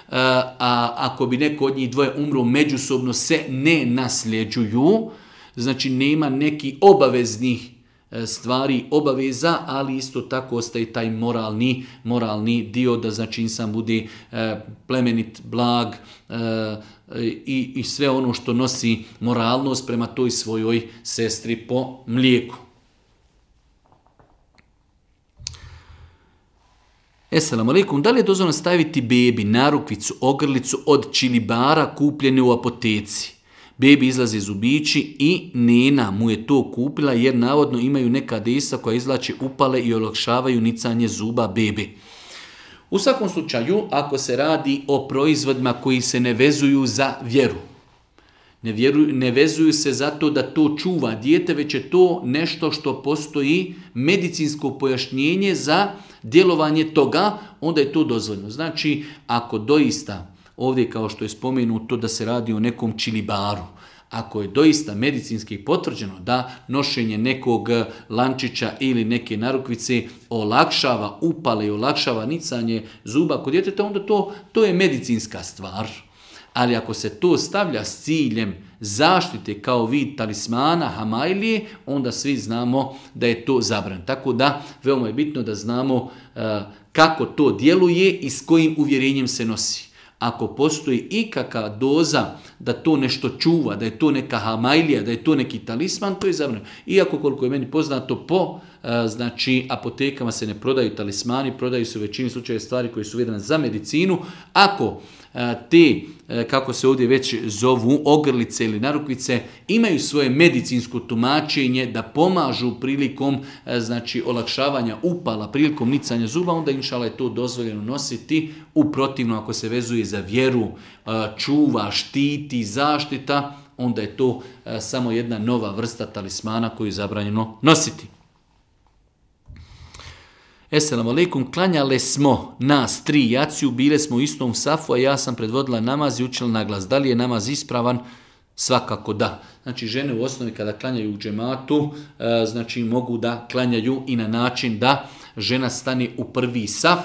a ako bi neko od njih dvoje umro, međusobno se ne nasljeđuju, znači nema neki obaveznih stvari obaveza, ali isto tako ostaje taj moralni, moralni dio da znači insan bude plemenit, blag, I, i sve ono što nosi moralnost prema toj svojoj sestri po mlijeku. Esselamu alaikum, da li je dozvoljeno staviti bebi narukvicu, ogrlicu od čilibara kupljene u apoteci? Bebi izlaze zubići i nena mu je to kupila jer navodno imaju neka desa koja izvlače upale i olakšavaju nicanje zuba bebi. U svakom slučaju, ako se radi o proizvodima koji se ne vezuju za vjeru, ne, vjeruju, ne vezuju se zato da to čuva dijete, već je to nešto što postoji medicinsko pojašnjenje za djelovanje toga, onda je to dozvoljeno. Znači, ako doista, ovdje kao što je spomenuto da se radi o nekom čilibaru, ako je doista medicinski potvrđeno da nošenje nekog lančića ili neke narukvice olakšava upale i olakšava nicanje zuba kod djeteta, onda to, to je medicinska stvar. Ali ako se to stavlja s ciljem zaštite kao vid talismana, hamajlije, onda svi znamo da je to zabranjeno. Tako da veoma je bitno da znamo uh, kako to djeluje i s kojim uvjerenjem se nosi. Ako postoji ikakva doza da to nešto čuva, da je to neka hamajlija, da je to neki talisman, to je zabranjeno. Iako koliko je meni poznato po znači apotekama se ne prodaju talismani, prodaju se u većini slučajeva stvari koje su vezane za medicinu. Ako te, kako se ovdje već zovu, ogrlice ili narukvice, imaju svoje medicinsko tumačenje da pomažu prilikom znači olakšavanja upala, prilikom nicanja zuba, onda inšala je to dozvoljeno nositi. U protivno, ako se vezuje za vjeru, čuva, štiti, zaštita, onda je to samo jedna nova vrsta talismana koju je zabranjeno nositi. Esselamu alaikum, klanjale smo nas tri jaciju, bile smo u istom safu, a ja sam predvodila namaz i učila na glas. Da li je namaz ispravan? Svakako da. Znači žene u osnovi kada klanjaju u džematu, znači mogu da klanjaju i na način da žena stane u prvi saf,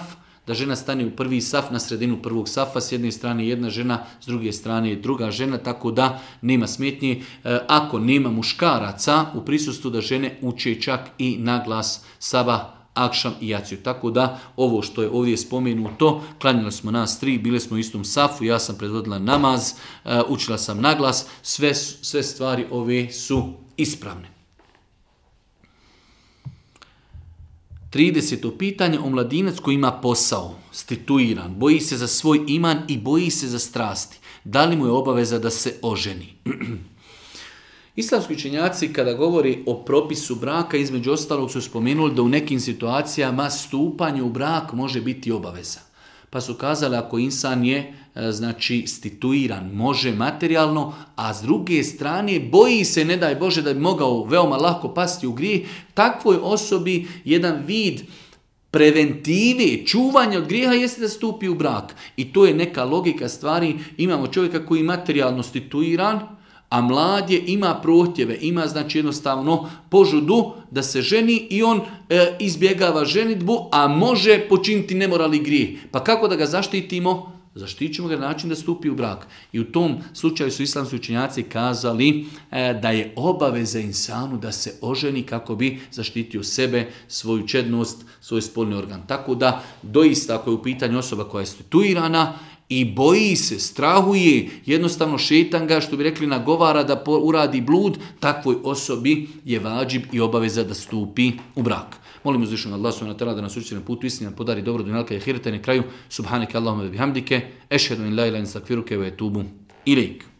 da žena stane u prvi saf na sredinu prvog safa, s jedne strane jedna žena, s druge strane druga žena, tako da nema smetnje. Ako nema muškaraca u prisustvu, da žene uče čak i na glas sabah, akšam i jaciju. Tako da ovo što je ovdje spomenuto, klanjali smo nas tri, bile smo u istom safu, ja sam predvodila namaz, učila sam naglas, sve, sve stvari ove su ispravne. trideseto pitanje, omladinac koji ima posao, stituiran, boji se za svoj iman i boji se za strasti. Da li mu je obaveza da se oženi? Islamski učenjaci kada govori o propisu braka, između ostalog su spomenuli da u nekim situacijama stupanje u brak može biti obaveza. Pa su kazali ako insan je znači stituiran, može materijalno, a s druge strane boji se, ne daj Bože, da bi mogao veoma lako pasti u grijeh, takvoj osobi jedan vid preventive, čuvanja od grijeha jeste da stupi u brak. I to je neka logika stvari. Imamo čovjeka koji je materijalno stituiran, a mlad je, ima prohtjeve, ima znači jednostavno požudu da se ženi i on e, izbjegava ženitbu, a može počiniti nemoralni grijeh. Pa kako da ga zaštitimo? Zaštitit ćemo ga na način da stupi u brak. I u tom slučaju su islamski učenjaci kazali e, da je obaveza insanu da se oženi kako bi zaštitio sebe, svoju čednost, svoj spolni organ. Tako da doista ako je u pitanju osoba koja je stituirana, i boji se, strahuje, jednostavno šejtan ga, što bi rekli, nagovara da uradi blud, takvoj osobi je vađib i obaveza da stupi u brak. Molim uzvišenog Allah subhanahu wa ta'ala da nas učiti na putu istine, podari dobro dunjalka i ahireta i na kraju subhaneke Allahumma wa bihamdike, ešhedu in la ilaha illa anta, astaghfiruke wa etubu ilejk.